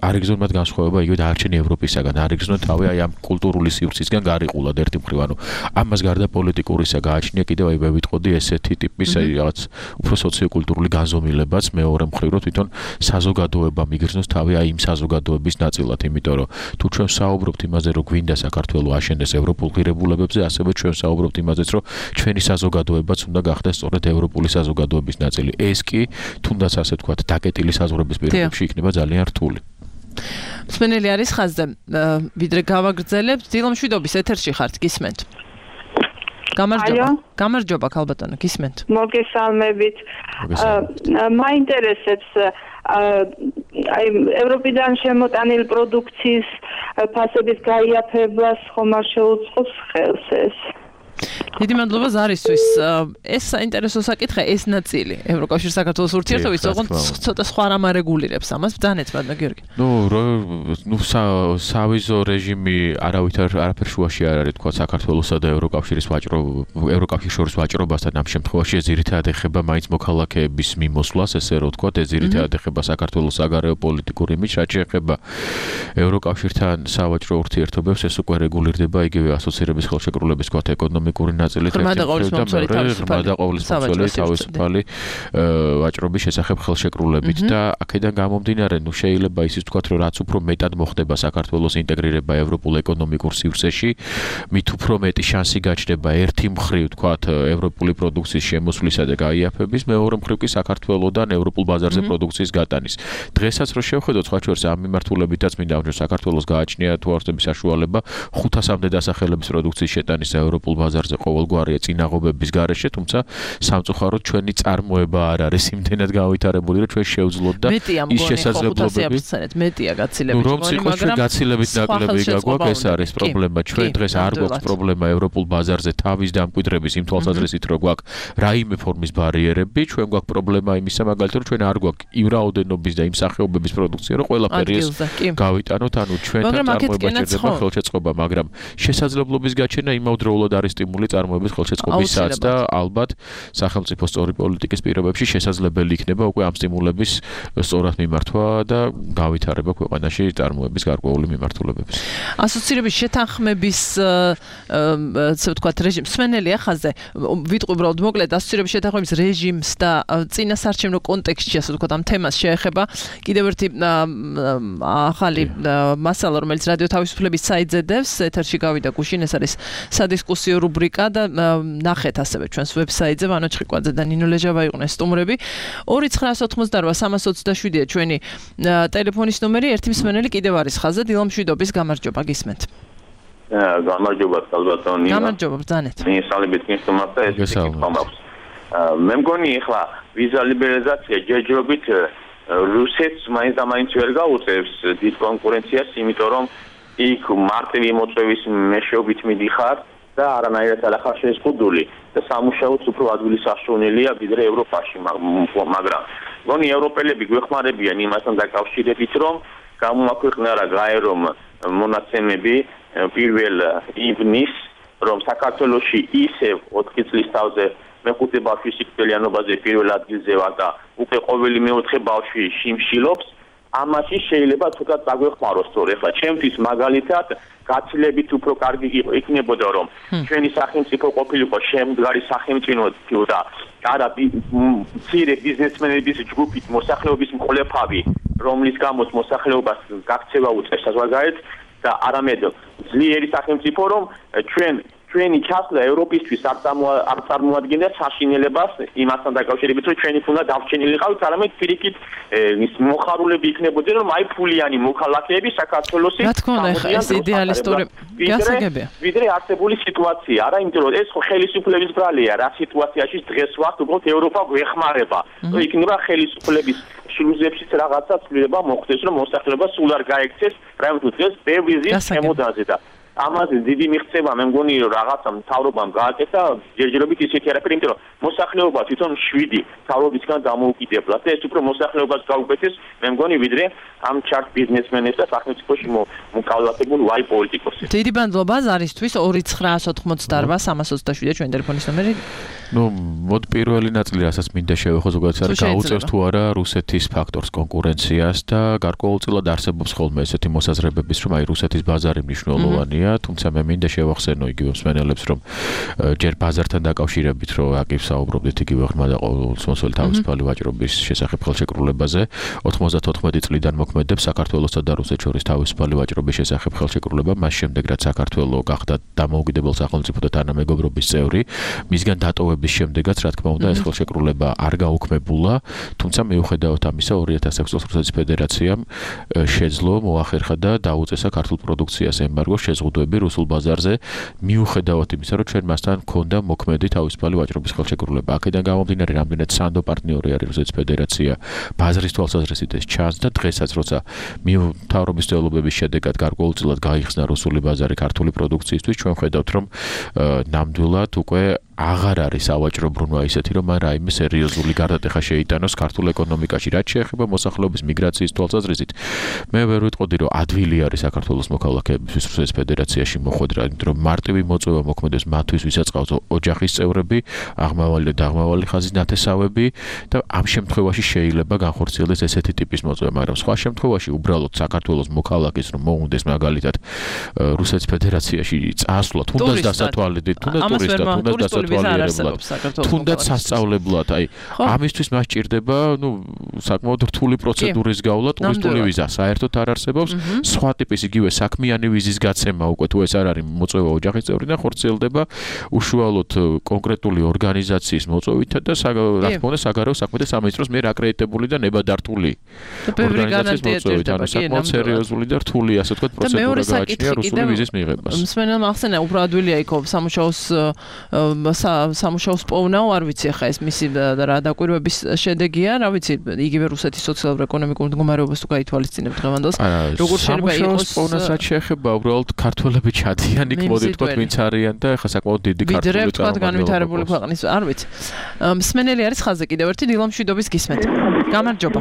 არ იგრძნონ მათ განსხვავება იგივე დარჩენი ევროპისაგან, არ იგრძნონ თავი აი ამ კულტურული სივრცისგან გარიყულად ერთი მხრივ, ანუ ამას გარდა პოლიტიკურისა გააჩნია კიდევ აი ვიტყოდი ესეთი ტიპის აი რაღაც უფრო სოციოკულტურული განზომილებაც მეორე მხრივ რომ თვითონ საზოგადოება მიგრძნოს თავი აი იმ საზოგადოების ნაწილად, იმიტომ რომ თუ ჩვენ საუბრობთ იმაზე, რომ გვინდა საქართველოს აშენდეს ევროპულ ღირებულებებზე, ასევე ჩვენ საუბრობთ იმაზეც, რომ ჩვენი საზოგადოებაც უნდა გახდეს სწორედ ევროპული საზოგადოების ნაწილი. ეს კი თუნდაც ასე ვთქვათ, დაკეტილი საზღვრების პირობებში იქნება ძალიან რთული. მსმენელი არის ხაზზე. ვიდრე გავაგრძელებთ, დილამშვიდობის ეთერში ხართ, გისმენთ. გამარჯობა ქალბატონო, გისმენთ. მოგესალმებით. მაინტერესებს აი ევროპიდან შემოტანილი პროდუქციის ფასების გაიაფებას ხომ არ შეუწყობს ხელს ეს? დიდი მადლობა ზარისთვის. ეს საინტერესო საკითხია, ეს ნაწილი ევროკავშირის საქართველოს ურთიერთობის ოღონდ ცოტა სხვა რამ არეგულირებს ამას. ბძანეთ ბატონო გიორგი. სავიზო რეჟიმი არაფერ შუაში არ არის თქვა საქართველოსა და ევროკავშირის შორის ვაჭრობასთან ამ შემთხვევაში ეს ძირითადად ეხება მაინც მოქალაქეების მიმოსვლას, ესე რომ თქვა, ეს ძირითადად ეხება საქართველოს საგარეო პოლიტიკურ იმიჯს, რაც შეეხება ევროკავშირთან სავაჭრო ურთიერთობებს, ეს უკვე რეგულირდება იგივე ასოცირების ხელშეკრულების თქვა ეკონომიკური ნაწილით ღრმა და ყოვლისმომცველი თავისუფალი ვაჭრობის შესახებ ხელშეკრულებით და აქედან გამომდინარე, შეიძლება ისიც ვთქვათ, რომ რაც უფრო მეტად მოხდება საქართველოს ინტეგრირება ევროპულ ეკონომიკურ სივრცეში, მით უფრო მეტი შანსი გაჩნდება ერთი მხრივ ვთქვათ ევროპული პროდუქციის შემოსვლისა და გაიაფების, მეორე მხრივ კი საქართველოსდან ევროპულ ბაზარზე პროდუქციის გატანის. დღესაც რო შევხედოთ სხვა შორის ამ მიმართულებითაც მინდა რომ საქართველოს გააჩნია თუ არსებობს საშუალება 500-მდე დასახელების პროდუქციის შეტანის ევროპულ ბაზარზე ყოველგვარია წინაღობების გარეშე, თუმცა სამწუხაროდ ჩვენი წარმოება არ არის იმდენად გავითარებული, რომ ჩვენ შევძლოთ და ის შესაძლებლობები მეტია გაცილებით, მაგრამ გაცილებით ნაკლები გაგვაქვს, ეს არის პრობლემა. ჩვენ დღეს არ გვაქვს პრობლემა ევროპულ ბაზარზე თავის დამკვიდრების იმ თვალსაზრისით, რომ გვაქვს რაიმე ფორმის ბარიერები, ჩვენ გვაქვს პრობლემა იმისა, მაგალითად, რომ ჩვენ არ გვაქვს იმ რაოდენობის და იმ სახეობების პროდუქცია, რომ ყველაფერი ეს გავიტანოთ, ანუ ჩვენთან წარმოება ჭირდება ხელშეწყობა, მაგრამ შესაძლებლობის გაჩენა იმავდროულად არის სტიმული წარმოების ხელშეწყობისაც და ალბათ სახელმწიფო სწორი პოლიტიკის პირობებში შესაძლებელი იქნება უკვე ამ სტიმულების სწორად მიმართვა და გავითარება ქვეყანაში წარმოების გარკვეული მიმართულებების. ასოცირების შეთანხმების ასე ვთქვათ რეჟიმს მსმენელი ხაზზე ვიტყვი უბრალოდ მოკლედ ასოცირების შეთანხმების რეჟიმს და წინასარჩევნო კონტექსტში ასე ვთქვათ ამ თემას შეეხება კიდევ ერთი ახალი მასალა, რომელიც რადიო თავისუფლების საიტზე დევს, ეთერში გავიდა გუშინ, ეს არის სადისკუსიო რუბრიკა და ნახეთ ასევე ჩვენს ვებსაიტზე, ვანო ჩხიკვაძე და ნინო ლეჟავა იყვნენ სტუმრები. 2988-327-ია ჩვენი ტელეფონის ნომერი, ერთი მსმენელი კიდევ არის ხაზზე, დილამშვიდობის, გამარჯობა, გისმენთ. გამარჯობა, ალბათონი. გამარჯობა, ბრძანეთ. მინისტრალებით გისმენთ და ეს ხომავს. მე მგონი ახლა ვიზა ლიბერალიზაცია ჯერჯერობით რუსეთს მაინც და მაინც ვერ გაუწევს დიდ კონკურენციას, იმიტომ რომ იქ მარტივი მოწვევის მეშვეობით მიდიხარ და არანაირად არ ახარ შეზღუდული და სამუშაოც უფრო ადვილი სასწაუნელია ვიდრე ევროპაში, მაგრამ მგონი ევროპელები გვეხმარებიან იმასთან დაკავშირებით, რომ გამოაქვეყნა რა გაერომ მონაცემები 1 ივნის, რომ საქართველოში ისევ 4 წლის თავზე მეხუთე ბავშვის სიკვდილიანობაზე პირველ ადგილზე ვარ და უკვე ყოველი მეოთხე ბავშვი შიმშილობს. ამაში შეიძლება თუნდაც დაგვეხმაროს, თორე ხა ჩემთვის მაგალითად გაცილებით უფრო კარგი იქნებოდა, რომ ჩვენი სახელმწიფო ყოფილიყო შემდგარი სახელმწიფო და არა მცირე ბიზნესმენების ჯგუფით მოსახლეობის მკვლელფავი, რომლის გამოც მოსახლეობას გაქცევა უწევს საზღვარგარეთ და არამედ ძლიერი სახელმწიფო, რომ ჩვენ ჩვენი ჩასვლა ევროპისთვის არ წარმოადგენდა საშინელებას იმასთან დაკავშირებით, რომ ჩვენი უნდა დარჩენილიყავით, არამედ პირიქით მოხარულები იქნებოდნენ, რომ აი ფულიანი მოქალაქეები საქართველოსი რა თქმა უნდა, ეს იდეალისტური გასაგებია. ვიდრე არსებული სიტუაცია, არა, იმიტომ რომ ეს ხელისუფლების ბრალია, რა სიტუაციაში დღეს ვართ, უბრალოდ ევროპა გვეხმარება. რომ იქნება ხელისუფლების შილუზებშიც რაღაცა ცვლილება მოხდეს, რომ მოსახლეობა სულ არ გაექცეს, რაიმეთუ დღეს ბევრი ზის შემოდაზე და ამაზე დიდი მიღწევა მე მგონი რომ რაღაცა მთავრობამ გააკეთა ჯერჯერობით ისეთი არაფერი, იმიტომ რომ მოსახლეობა თვითონ 7 მთავრობისგან დამოუკიდებლად და ეს უფრო მოსახლეობას გაუკვეთეს მე მგონი ვიდრე ამ ჩარტ ბიზნესმენებს და სახელმწიფოში მოკავშირეებულ ვაი პოლიტიკოსებს. დიდი ბანდლობა ზარისთვის 2988327 ჩვენი ტელეფონის ნომერი. ნუ მოდ პირველი ნაწილი რასაც მინდა შევეხო ზოგადად არის გაუწევს თუ არა რუსეთის ფაქტორს კონკურენციას და გარკვეულწილად არსებობს ხოლმე ესეთი მოსაზრებების რომ აი რუსეთის ბაზარი მნიშვნელოვანია, თუმცა მე მინდა შევახსენო იგივე მსმენელებს რომ ჯერ ბაზართან დაკავშირებით რომ აკივ საუბრობდით იგივე ღრმა და ყოველწლიური თავისუფალი ვაჭრობის შესახებ ხელშეკრულებაზე 94 წლიდან მოქმედებს საქართველოსა და რუსეთს შორის თავისუფალი ვაჭრობის შესახებ ხელშეკრულება, მას შემდეგ რაც საქართველო გახდა დამოუკიდებელ სახელმწიფო და თანამეგობრობის წევრი, მისგან დატოვების შემდეგაც რა თქმა უნდა ეს ხელშეკრულება არ გაუქმებულა, თუმცა მიუხედავად ამისა 2006 წელს რუსეთის ფედერაციამ შეძლო მოახერხა და დაუწესა ქართულ პროდუქციას ემბარგო შეზღუდვები რუსულ ბაზარზე, მიუხედავად იმისა, რომ ჩვენ მასთან ჰქონდა მოქმედი თავისუფალი ვაჭრობის ხელშეკრულება. აქედან გამომდინარე, რამდენად სანდო პარტნიორი არის რუსეთის ფედერაცია, ბაზრის თვალსაზრისით ეს ჩანს და დღესაც როცა მთავრობის ცდილობების შედეგად გარკვეულწილად გაიხსნა რუსული ბაზარი ქართული პროდუქციისთვის, ჩვენ ხედავთ, რომ ნამდვილად უკვე აღარ არის ავაჭრო ბრუნვა ისეთი, რომ მან რაიმე სერიოზული გარდატეხა შეიტანოს ქართულ ეკონომიკაში, რაც შეეხება მოსახლეობის მიგრაციის თვალსაზრისით. მე ვერ ვიტყოდი, რომ ადვილი არის საქართველოს მოქალაქეებისთვის რუსეთის ფედერაციაში მოხვედრა, იმიტომ რომ მარტივი მოწვევა მოქმედებს მათთვის, ვისაც ყავს ოჯახის წევრები, აღმავალი და დაღმავალი ხაზის ნათესავები და ამ შემთხვევაში შეიძლება განხორციელდეს ესეთი ტიპის მოწვევა, მაგრამ სხვა შემთხვევაში უბრალოდ საქართველოს მოქალაქეს რომ მოუნდეს მაგალითად რუსეთის ფედერაციაში წასვლა, თუნდაც დასათვალიერებლად, თუნდაც ტურისტად, თუნდაც დასათვალიერებლად, თუნდაც სასწავლებლად, აი ამისთვის მას ჭირდება, ნუ საკმაოდ რთული პროცედურის გავლა, ტურისტული ვიზა საერთოდ არ არსებობს, სხვა ტიპის იგივე საქმიანი ვიზის გაცემა უკვე თუ ეს არ არის მოწვევა ოჯახის წევრიდან ხორციელდება უშუალოდ კონკრეტული ორგანიზაციის მოწვევითა და რა თქმა უნდა საგარეო საქმეთა სამინისტროს მიერ აკრედიტებული და ნებადართული ორგანიზაციის მოწვევით, ანუ საკმაოდ სერიოზული და რთული ასე ვთქვათ პროცედურა გააჩნია რუსული ვიზის მიღებას. მსმენელმა ახსენა უფრო ადვილია იქ სამუშაოს პოვნაო, არ ვიცი ახლა ეს მისი რა დაკვირვების შედეგია, რა ვიცი, იგივე რუსეთის სოციალურ-ეკონომიკურ მდგომარეობას თუ გაითვალისწინებ დღევანდელს, როგორ შეიძლება იყოს პოვნასაც შეეხება უბრალოდ ქართველები ჩადიან იქ მოდი ვთქვათ ვინც არიან და ახლა საკმაოდ დიდი ქართული წარმოება განვითარებული ქვეყნის, არ ვიცი. მსმენელი არის ხაზზე კიდევ ერთი დილამშვიდობის გისმენთ. გამარჯობა.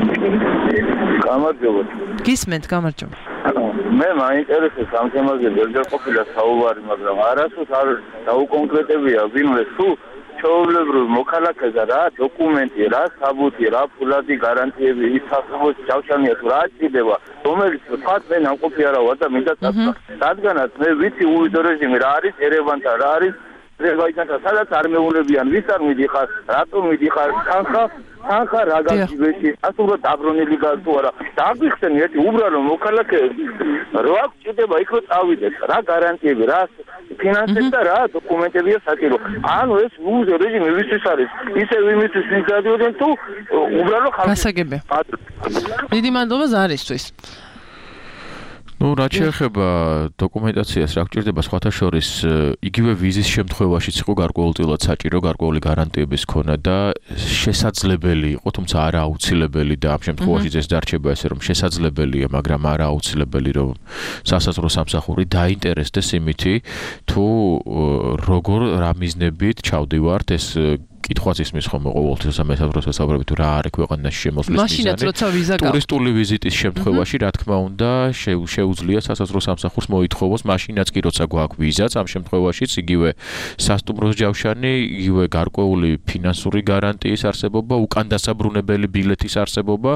გამარჯობა. გისმენთ, გამარჯობა. მე მაინტერესებს ამ თემაზე ვერჯერ ყოფილა საუბარი, მაგრამ არასდროს არ დაუკონკრეტებია ვინმე თუ ჩვეულებრივ მოქალაქეზე რა დოკუმენტი, რა საბუთი, რა ფულადი გარანტიები ის სახელმწიფოს ჯავშანია თუ რა ჭირდება, რომელიც თქვათ მე ნამყოფი არა ვარ და მინდა წასვლა. რადგანაც მე ვიცი უვიზო რეჟიმი რა არის ერევანთან, რა არის აზერბაიჯანთან, სადაც არ მეულებიან, ვის არ მიდიხარ, რატომ მიდიხარ, თანხა რა გაგიბეში, ასურა დაბრუნილი გასულ არა. დაგვიხსენი ერთი უბრალო მოქალაქეები, რა აქვს ჭირდება იქ რომ წავიდეს, რა გარანტიები, რა ფინანსები და რა დოკუმენტებია საჭირო. ანუ ეს უზო რეჟიმი ვისთვის არის, ისე ვიმისთვის ვინ გადიოდნენ თუ უბრალო ხალხი. გასაგებია. დიდი მადლობა ზარისთვის. ნუ რაც შეეხება დოკუმენტაციას, რა გჭირდება სხვათა შორის იგივე ვიზის შემთხვევაშიც იყო გარკვეულწილად საჭირო გარკვეული გარანტიების ქონა და შესაძლებელი იყო, თუმცა არა აუცილებელი და ამ შემთხვევაშიც ეს დარჩება ესე რომ შესაძლებელია, მაგრამ არა აუცილებელი რომ სასაზღვრო სამსახური დაინტერესდეს იმითი თუ როგორ რა მიზნებით ჩავდივართ ეს კითხვაც ისმის ხოლმე ყოველთვის სამეთაუროს საუბრები თუ რა არის ქვეყანაში შემოსვლის მიზანი. ტურისტული ვიზიტის შემთხვევაში რა თქმა უნდა შეუძლია სასაზღვრო სამსახურს მოითხოვოს მაშინაც კი როცა გვაქვს ვიზაც, ამ შემთხვევაშიც იგივე სასტუმროს ჯავშანი, იგივე გარკვეული ფინანსური გარანტიის არსებობა, უკანდასაბრუნებელი ბილეთის არსებობა,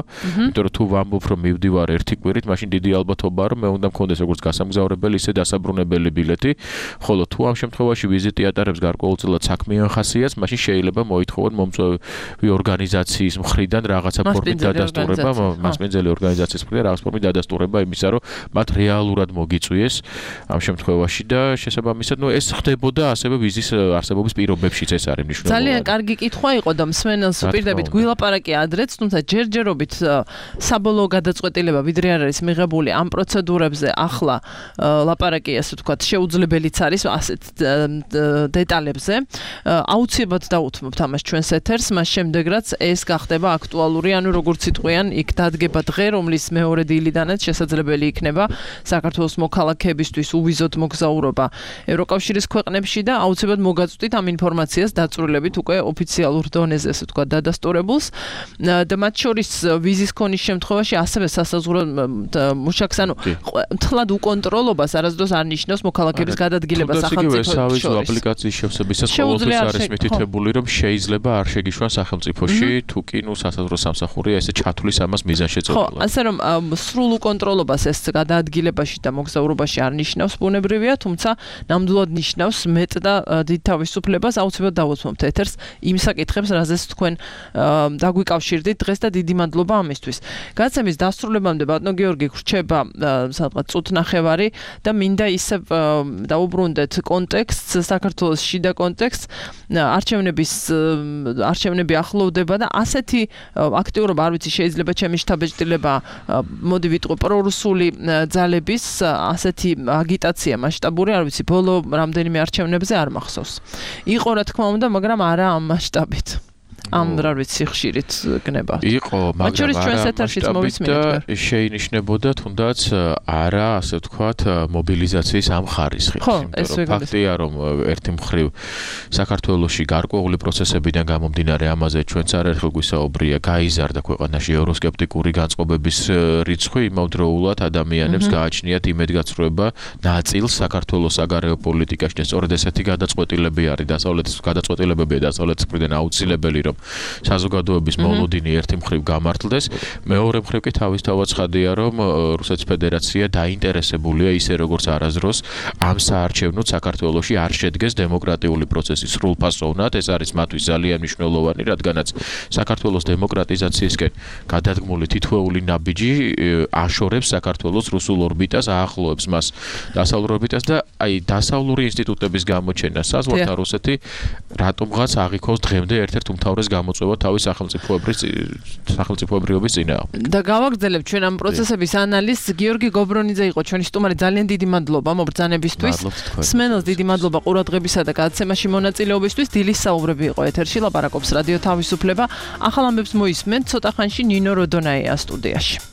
იმიტომ რომ თუ ვამბობ რომ მივდივარ ერთი კვირით, მაშინ დიდი ალბათობაა რომ მე უნდა მქონდეს როგორც გასამგზავრებელი, ისე დასაბრუნებელი ბილეთი, ხოლო თუ ამ შემთხვევაში ვიზიტი ატარებს გარკვეულწილად საქმიან ხასიათს, მაშინ შეიძლება შეიძლება მოითხოვონ მომწვევი ორგანიზაციის მხრიდან რაღაცა ფორმით დადასტურება, მასპინძელი ორგანიზაციის მხრიდან რაღაც ფორმით დადასტურება იმისა, რომ მათ რეალურად მოგიწვიეს ამ შემთხვევაში და შესაბამისად, ეს ხდებოდა ასევე ვიზის არსებობის პირობებშიც ეს არის მნიშვნელოვანი. ძალიან კარგი კითხვა იყო და მსმენელს უპირდებით გვილაპარაკი ადრეც, თუმცა ჯერჯერობით საბოლოო გადაწყვეტილება ვიდრე არ არის მიღებული ამ პროცედურებზე ახლა ლაპარაკი ასე ვთქვათ შეუძლებელიც არის ასეთ დეტალებზე. აუცილებლად დავუთმობთ ამას ჩვენს ეთერს, მას შემდეგ რაც ეს გახდება აქტუალური, ანუ როგორც იტყვიან, იქ დადგება დღე, რომლის მეორე დილიდანაც შესაძლებელი იქნება საქართველოს მოქალაქეებისთვის უვიზოდ მოგზაურობა ევროკავშირის ქვეყნებში და აუცილებლად მოგაწვდით ამ ინფორმაციას დაწვრილებით უკვე ოფიციალურ დონეზე, ასე ვთქვათ, დადასტურებულს და მათ შორის ვიზის ქონის შემთხვევაში ასევე სასაზღვრო მუშაკს, ანუ თლად უკონტროლობას არასდროს არ ნიშნავს მოქალაქეების გადადგილებას სახელმწიფოებში. სავიზო აპლიკაციის შევსებისას ყოველთვის არის მითითებული, რომ შეიძლება არ შეგიშვან სახელმწიფოში, თუ კი სასაზღვრო სამსახურია ესე ჩათვლის ამას მიზანშეწონილად. ხო, ასე რომ სრულ უკონტროლობას ეს გადაადგილებაში და მოგზაურობაში არ ნიშნავს ბუნებრივია, თუმცა ნამდვილად ნიშნავს მეტ და დიდ თავისუფლებას. აუცილებლად დავუთმობთ ეთერს იმ საკითხებს, რაზეც თქვენ დაგვიკავშირდით დღეს და დიდი მადლობა ამისთვის. გადაცემის დასრულებამდე ბატონო გიორგი გრჩება სადღაც წუთნახევარი და მინდა ისევ დაუბრუნდეთ კონტექსტს, საქართველოს შიდა კონტექსტს, არჩევნები ახლოვდება და ასეთი აქტიურობა, არ ვიცი, შეიძლება ჩემი შთაბეჭდილება, მოდი ვიტყვი, პრორუსული ძალების ასეთი აგიტაცია მასშტაბური, არ ვიცი, ბოლო რამდენიმე არჩევნებზე არ მახსოვს. იყო რა თქმა უნდა, მაგრამ არა ამ მასშტაბით. ამ რა ვიცი ხშირით გნება. იყო, მაგრამ შეინიშნებოდა თუნდაც არა, ასე ვთქვათ, მობილიზაციის ამ ხარისხით. ფაქტია, რომ ერთი მხრივ საქართველოში გარკვეული პროცესებიდან გამომდინარე ამაზე ჩვენც არაერთხელ გვისაუბრია, გაიზარდა ქვეყანაში ევროსკეპტიკური განწყობების რიცხვი, იმავდროულად ადამიანებს გააჩნიათ იმედგაცრუება ნაწილს საქართველოს საგარეო პოლიტიკაში და სწორედ ესეთი გადაწყვეტილებები არის დასავლეთის მხრიდან აუცილებელი, რომ საზოგადოების მოლოდინი ერთი მხრივ გამართლდეს, მეორე მხრივ კი თავისთავად ცხადია, რომ რუსეთის ფედერაცია დაინტერესებულია ისე როგორც არასდროს ამ საარჩევნოდ საქართველოში არ შედგეს დემოკრატიული პროცესი სრულფასოვნად, ეს არის მათთვის ძალიან მნიშვნელოვანი, რადგანაც საქართველოს დემოკრატიზაციისკენ გადადგმული თითოეული ნაბიჯი აშორებს საქართველოს რუსულ ორბიტას, აახლოებს მას დასავლურ ორბიტას და დასავლური ინსტიტუტების გამოჩენა საზღვართან რუსეთი რატომღაც აღიქოს დღემდე ერთ-ერთ უმთავრეს გამოწვევა თავის სახელმწიფოებრიობის წინააღმდეგ. და გავაგრძელებთ ჩვენ ამ პროცესების ანალიზს. გიორგი გობრონიძე იყო ჩვენი სტუმარი. ძალიან დიდი მადლობა მობრძანებისთვის. მსმენელს დიდი მადლობა ყურადღებისა და გადაცემაში მონაწილეობისთვის. დილის საუბრები იყო ეთერში, ლაპარაკობს რადიო თავისუფლება. ახალ ამბებს მოისმენთ ცოტა ხანში ნინო როდონაია სტუდიაში.